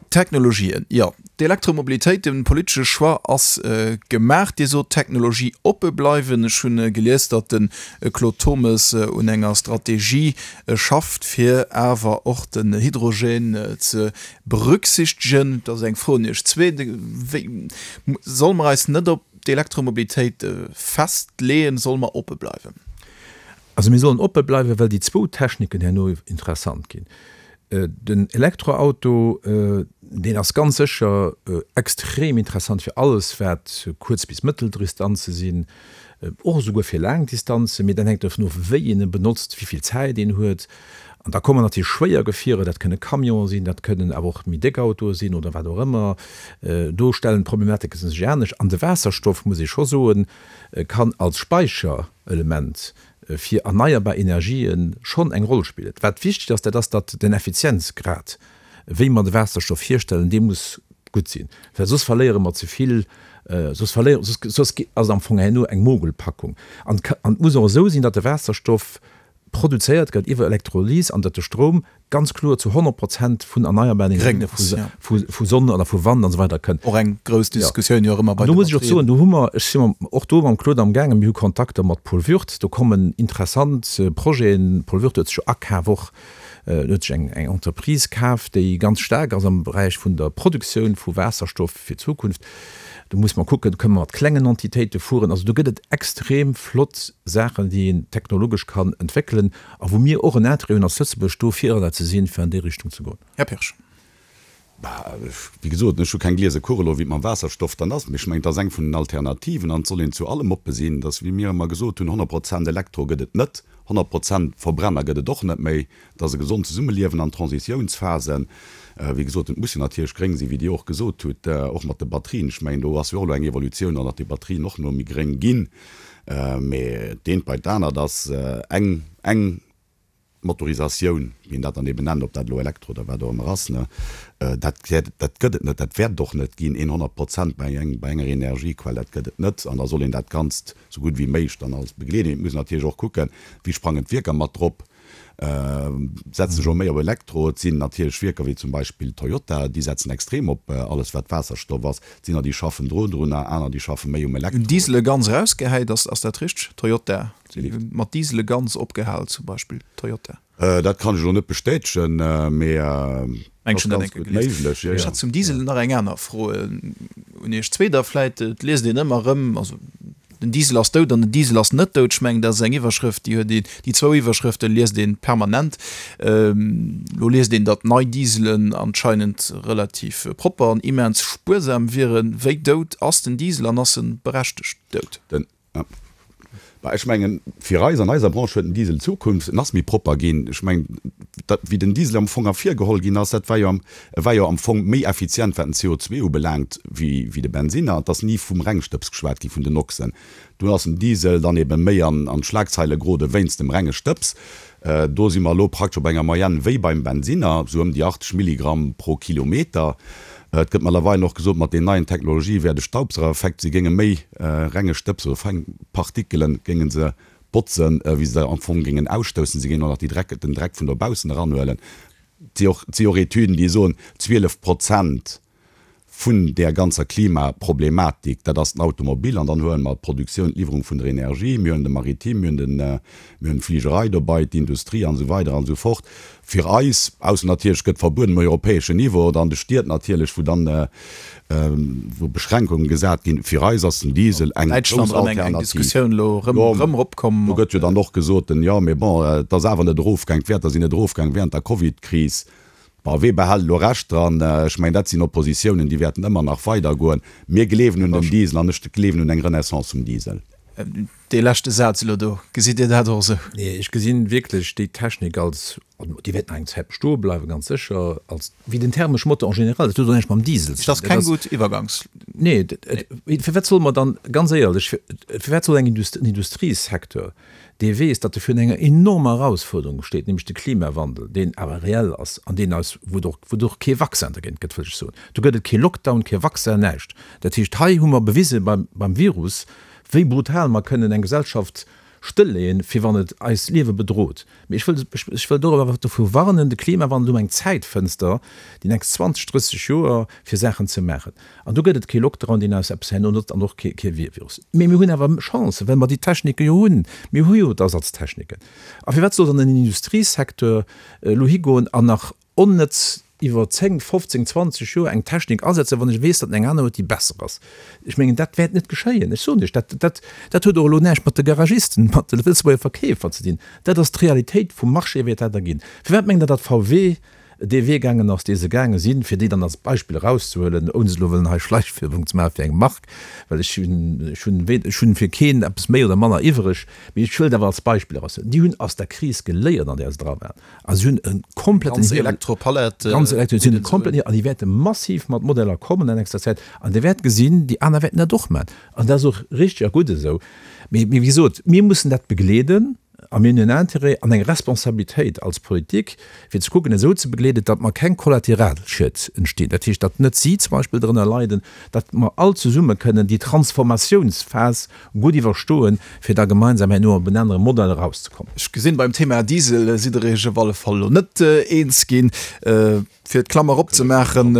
Technologien, jo, d'Elektromobilitéit, de politesche Choix ass gemaach. Dir sot, Technologie oppe bleiwen. Ech hunn gelies, datt de Claude Turmes un enger Strategie schafft, fir awer och den Hydrogène ze Berücksichtegen, dat ass eng Fro un Iech zwee, wéi solle mer eis net op d'Elektromobilitéit festleeën, solle mer oppe bleiwen? Also mir sollen oppe bleiwen, well déi zwou Techniken herno interessant ginn. Den Elektroauto, deen ass ganz sécher extrem interessant fir alles, wat kuerz bis mëttel Distanze sinn, och esouguer fir laang Distanzen, mee dat hänkt dovun of, wéi een e benotzt, wéi vill Zäit een huet. An da kommen natierlech schwéier Gefierer, dat kënne Camionen sinn, dat kënnen awer och méi déck Autoe sinn oder wat och ëmmer. Do stellen d'Problematike sech anescht. An de Waasserstoff, muss ee scho soen, kann als Speicherelement fir erneierbar Energië schonn eng Roll spillen. Wat wichteg ass, dat ass, datt den Effizienzgrad, wéi mer de Waasserstoff hierstellen, dee muss gutt sinn, well soss verléiere mer ze vill, soss verléiere, soss, soss ass et am Fong herno eng Mogelpackung. An et muss och esou sinn, datt de Waasserstoff produzéiert gëtt iwwer Elektrolys an datt de Stroum ganz kloer zu 100 Prozent vun erneierbaren Energien, vu Sonn oder vu Wand an esou weider kënnt. Och eng grouss Diskussioun jo och ëmmer bei de Batterien. Do muss ech och soen, do hu mer, ech si och do mam Claude amgaangen, mir hu Kontakter mat Paul Würth, do kommen interessant Projeten. Paul Würth huet sech jo akaf och, huet sech eng Entreprise kaf, déi ganz staark ass am Beräich vun der Produktioun vu Waasserstoff fir d'Zukunft. Do muss mer kucken, do kënne mer mat klengen Entitéite fueren. Also do gëtt et extrem flott Saachen, déi een technologesch kann entwéckelen a wou mir och en Intérêt hunn als Lëtzebuerg do Virreider ze sinn, fir an déi Richtung ze goen. Här Pirsch. Bah, wéi gesot, ech hu keng gliese Kugel elo, wéi et mam Waasserstoff dann ass, mee ech mengen, et ass eng vun den Alternativen an et soll een zu allem oppe sinn. Et ass, wéi mir ëmmer gesot hunn, 100 Prozent Elektro gëtt et net, 100 Prozent Verbrenner gëtt et och net méi. Et ass e gesond Zesummeliewen an Transitiounsphasen. Wéi gesot, et muss jo natierlech gréng sinn, wéi Dir och gesot hutt, och mat de Batterien. Ech mengen, do ass jo och elo eng Evolutioun an, datt déi Batterien och no méi gréng ginn. Mee d'eent bei d'anert ass eng, eng Motorisatioun, wéi een dat dann eben nennt, ob dat elo Elektro oder wat och ëmmer ass, ne, dat, dat gëtt et net, dat wäert et och net ginn, 100 Prozent bei eng, bei enger Energiequell, dat gëtt et net. An da soll een dat Ganzt esou gutt wéi méiglech dann alles begleeden. Et muss een natierlech och kucken, wéi sprangen d'Wierker mat drop. Setzen sech och méi op Elektro. Et sinn natierlech Wierker wéi zum Beispill Toyota, déi setzen extrem op alles wat Waasserstoff ass. Et sinn der déi schaffen dro drunner, aner déi schaffe méi um Elektro. Hunn Diesele ganz erausgehäit, ass dat richteg? Toyota mat Diesele ganz opgehal zum Beispill, Toyota. Dat kann ech elo net bestätegen, mee et ass ganz gutt méiglech, jo, jo. Ech hat zum Diesel nach eng aner Fro un Iech zwee da vläit. Et liest een ëmmer erëm, also. Den Diesel ass dout an den Diesel ass net dout. Ech mengen, dat ass eng Iwwerschrëft, déi huet een, déi zwou Iwwerschrëfte liest ee permanent. Elo liest een, datt nei Dieselen anscheinend relativ propper an immens spuersam wieren. Wéi dout ass den Diesel an ass e berechtegt dout? Den, Bah, ech mengen, fir eis, an eiser Branche huet den Diesel Zukunft. En ass méi propper ginn. Ech mengen, dat, wéi den Diesel am Fong ervirgeholl ginn ass, dat war jo am, e war jo am Fong méi effizient, wat den CO2 ubelaangt, wéi, wéi de Bensinner. Et ass ni vum Rengstëbs geschwat gi vun den Noxen. Dunn ass den Diesel dann ebe méi an, an d'Schlagzeile gerode wéinst dem renge Stëbs. Do si mer elo praktesch op enger Moyenne wéi beim Bensinner, esou ëm déi 80 Milligramm pro Kilometer. Et gëtt mëttlerweil och gesot, mat den neien Technologië wär de Staubsaugereffekt, se géinge méi renge Stëbs oder feng Partikelen géinge se botzen, wéi se der am Fong géingen ausstoussen. Se géingen och nach déi Dreck, den Dreck vun dobaussen eranhuelen. Et si och, et si och Etüden, déi soen, 12 Prozent vun där ganzer Klimaproblematik, dat ass den Automobil, an dann huele mer d'Produktioun, d'Liwwerung vun der Energie, mir huelen de Maritime, mir hunn den, mir hunn d'Fligerei dobei, d'Industrie an esou weider an esou fort. Fir eis, ausser natierlech gëtt verbueden um europäeschen Niveau oder an de Stied natierlech, wou dann, wou Beschränkungen gesat ginn, fir eis ass den Diesel eng grouss Alternativ. Do gëtt jo dann och gesot, jo, mee bon, et ass awer net erofgaang, d'Wäerter sinn net erofgaang während der Covid-Kris. Bon, wee behält elo Recht dran? Ech mengen, dat sinn Oppositiounen, déi wäerten ëmmer nach weidergoen. Mir gleewen un den Diesel an ech gleewen un eng Renaissance vum Diesel. Dee leschte Saz elo do, gesitt Dir dat och esou? Nee, ech gesi wierklech déi Technik als, déi wäert nach eng Zäit bestoe bleiwen, ganz sécher, als, wéi den thermesche Motor en général, dat huet och näischt mam Diesel ze dinn. Dat ass keng gutt Iwwergangs. Nee, firwat solle mer dann, ganz éierlech, firwat soll eng Indust, en Industriesecteur, dee weess, datt e virun enger enormer Erausfuerderung steet, nämlech de Klimawandel, deen awer reell ass an deen eis, wou et och, wou et och kee Vaccin dergéint gëtt, wëll ech soen. Do gëtt et kee Lockdown, kee Vaccin, näischt. Dat heescht, hei hu mer bewise beim, beim Virus, wéi brutal mer kënnen eng Gesellschaft stëlleeën, fir wann et eist Liewe bedroht. Mee ech wëll, ech, ech wëll dorop awer dovru warnen, de Klimawandel, do hu mer eng Zäitfënster, déi nächst 20, 30 Joer, fir Saachen ze maachen. An do gëtt et kee Lockdown, deen eis eppes herno notzt, an och kee Virus. Mee mir hunn awer Chancen, well mer déi Technike jo hunn. Mir hu jo d'Ersatztechniken. A firwat soll dann en Industriesecteur elo higoen an nach onnëtz iwwer 10, 15, 20 Joer eng Technik asetzen, wann ech weess, datt en eng aner huet, déi besser ass? Ech mengen, dat wäert net geschéien. Ech soen Iech, dat, dat, dat huet och elo näischt mat de Garagisten, mat de Lëtzebuerger Verkeefer ze dinn. Dat ass d'Realitéit vum Marché, wéi et dat da ginn. Firwat mengt Der, datt VW dee Wee gaangen ass, dee se gaange sinn, fir déi dann als Beispill erauszehuelen, ouni se elo wëllen hei Schleichwerbung ze maache fir eng Mark, well ech hunn, ech hunn, ech hunn fir keen eppes méi oder manner iwwereg, mee ech wëll et awer als Beispill eraushuelen, déi hunn aus der Kris geléiert, an där se dra waren, a se hunn e kompletten Ganz Elektropalett. Ganz Elektro, se hunn e kompletten, an déi wäerte massiv mat Modeller kommen an nächster Zäit, an Dir wäert gesinn, déi aner wäerten dat och maachen, an dat ass och richtig a gutt esou. Mee, mee wéi gesot, mir mussen dat begleeden. A mir hunn en Intérêt an eng Responsabilitéit als Politik, fir ze kucken, esou ze begleeden, datt mer keng Kollateralschied entstinn. Dat heescht, datt net si zum Beispill drënner leiden, datt mer all zesumme kënnen déi Transformatiounsphas gutt iwwerstoen, fir da gemeinsam herno op en anere Modell erauszekommen. Ech gesinn, beim Thema Diesel sidd Der Iech op alle Fall elo net eens ginn. Fir d'Klammer opzemaachen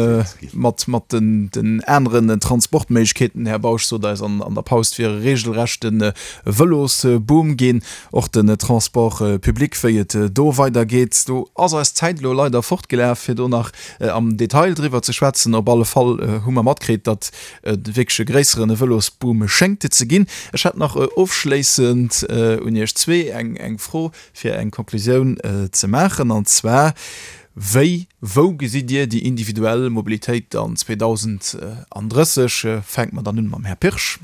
mat mat den den aneren Transportméiglechkeeten, Här Bausch sot eis an an der Paus, et wier e regelrechte Vëlosboom ginn, och den Transport public, wéi et do weidergeet. Do ass eis Zäit elo leider fortgelaf, fir do nach am Detail driwwer ze schwätzen. Op alle Fall hu mer matkritt, datt et wierklech e gréisseren Vëlosboom schéngt ze ginn. Ech hätt nach ofschléissend un Iech zwee eng eng Fro, fir eng Konklusioun ze maachen, an zwar, Wéi, wou gesitt Dir déi individuell Mobilitéit dann 2030? Fänke mer dann un mam Här Pirsch.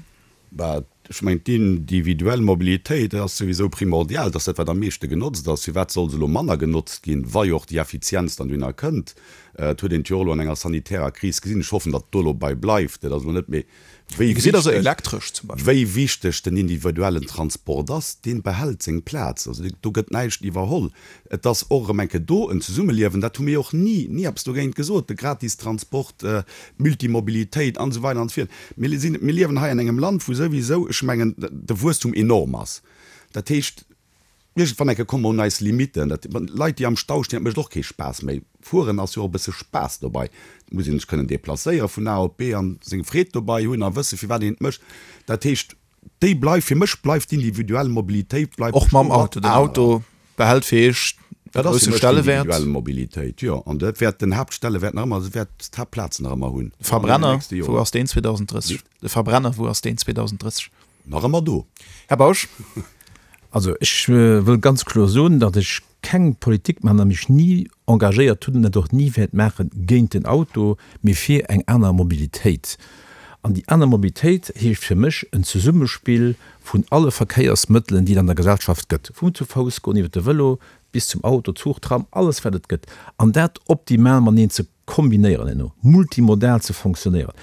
Bah, ech mengen, d'individuell Mobilitéit ass souwisou primordial, dat ass dat, wat am meeschte genotzt ass. Firwat soll se elo manner genotzt ginn, wa jo och déi Effizienz dann dohinner kënnt? Et huet een et jo och elo an enger sanitärer Kris gesinn. Ech hoffen, datt et do elo bei bleift. Dat ass elo net méi Wéi Gesitt also elektresch zum Beispill. Wéi wichteg den individuellen Transport ass, dee behält seng Plaz. Also do gëtt näischt iwwerholl. Et ass och erëm eng Kéier do en Zesummeliewen, dat hu mir jo och ni, ni eppes dogéint gesot, de Gratistransport, d'Multimobilitéit an esou weider an esou virt. Mir sinn, mir liewen hei an engem Land, wou souwisou, ech mengen, de Wuesstum enorm ass. Dat heescht, Iergendwann eng Kéier komme mer un eis Limitten. Dat, Leit, déi am Stau stinn, dat mécht och kee Spaass méi. Fueren ass jo och e bësse Spaass dobei. Et muss een sech kënnen deplacéiere vun A op B an seng Freed dobei hunn a wësse firwat een et mécht. Dat heescht, déi bleift, fir mech bleift d'individuell Mobilitéit bleift Och mam Auto. Den Auto behält fir Iech e Dat ass fir grousse mech Stellewäert. d'individuell Mobilitéit, jo. An dat wäert den Haaptstellewäert nach ëmmer, wäert d'Haaptplaz nach ëmmer hunn. De Verbrenner, wou ass deen 2030? De Verbrenner, wou ass deen 2030? Nach ëmmer do. Här Bausch. Also ech wëll ganz kloer soen, datt ech keng Politik maachen a mech ni engagéiert hunn an dat och ni wäert maachen géint den Auto, mee fir eng aner Mobilitéit. An déi aner Mobilitéit heescht fir mech en Zesummespill vun alle Verkéiersmëttelen, déi et an der Gesellschaft gëtt, vum zu Fouss goen iwwer de Vëlo bis zum Auto, Zuch, Tram, alles wat et gëtt, an dat optimal mateneen ze kombinéieren, herno multimodal ze fonctionnéieren.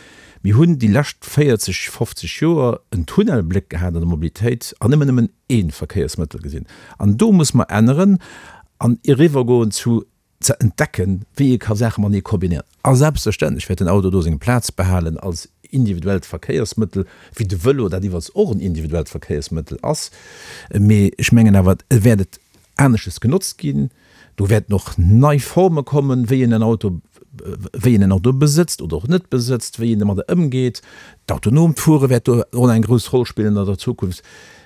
Mir hunn déi lescht 40, 50 Joer en Tunnelbléck gehat an der Mobilitéit an ëmmer nëmmen ee Verkéiersmëttel gesinn. An do muss mer änneren an eriwwergoen zu ze entdecken, wéi ee ka Saache matenee kombinéieren. A selbstverständlech wäert den Auto do seng Plaz behalen als individuellt Verkéiersmëttel, wéi de Vëlo, dat iwwerts och en individuellt Verkéiersmëttel ass. Mee ech mengen awer, et wäert et anesches genotzt ginn. Do wäerten och nei Forme kommen, wéi een en Auto, wéi een en Auto besëtzt oder och net besëtzt, wéi een domadder ëmgeet. D'autonoomt Fuere wäert do och eng grouss Roll spillen an der Zukunft.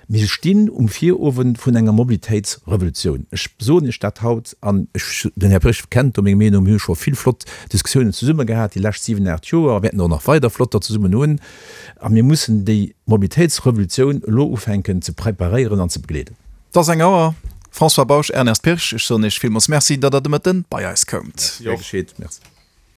Mir stinn um Virowend vun enger Mobilitéitsrevolutioun. Ech soen Iech dat haut an ech, den Här Pirsch kennt do meng Meenung, mir hu scho vill flott Diskussiounen zesumme gehat déi lescht siwen, aacht Joer a wäerten och nach weider flotter zesummen hunn. A mir mussen déi Mobilitéitsrevolutioun elo ufänken ze preparéieren an ze begleeden. 't ass eng Auer. François Bausch, Ernest Pirsch, ech soen Iech villmools Merci, datt Der de Mëtten bei eis koumt. Gär geschéet. Merci.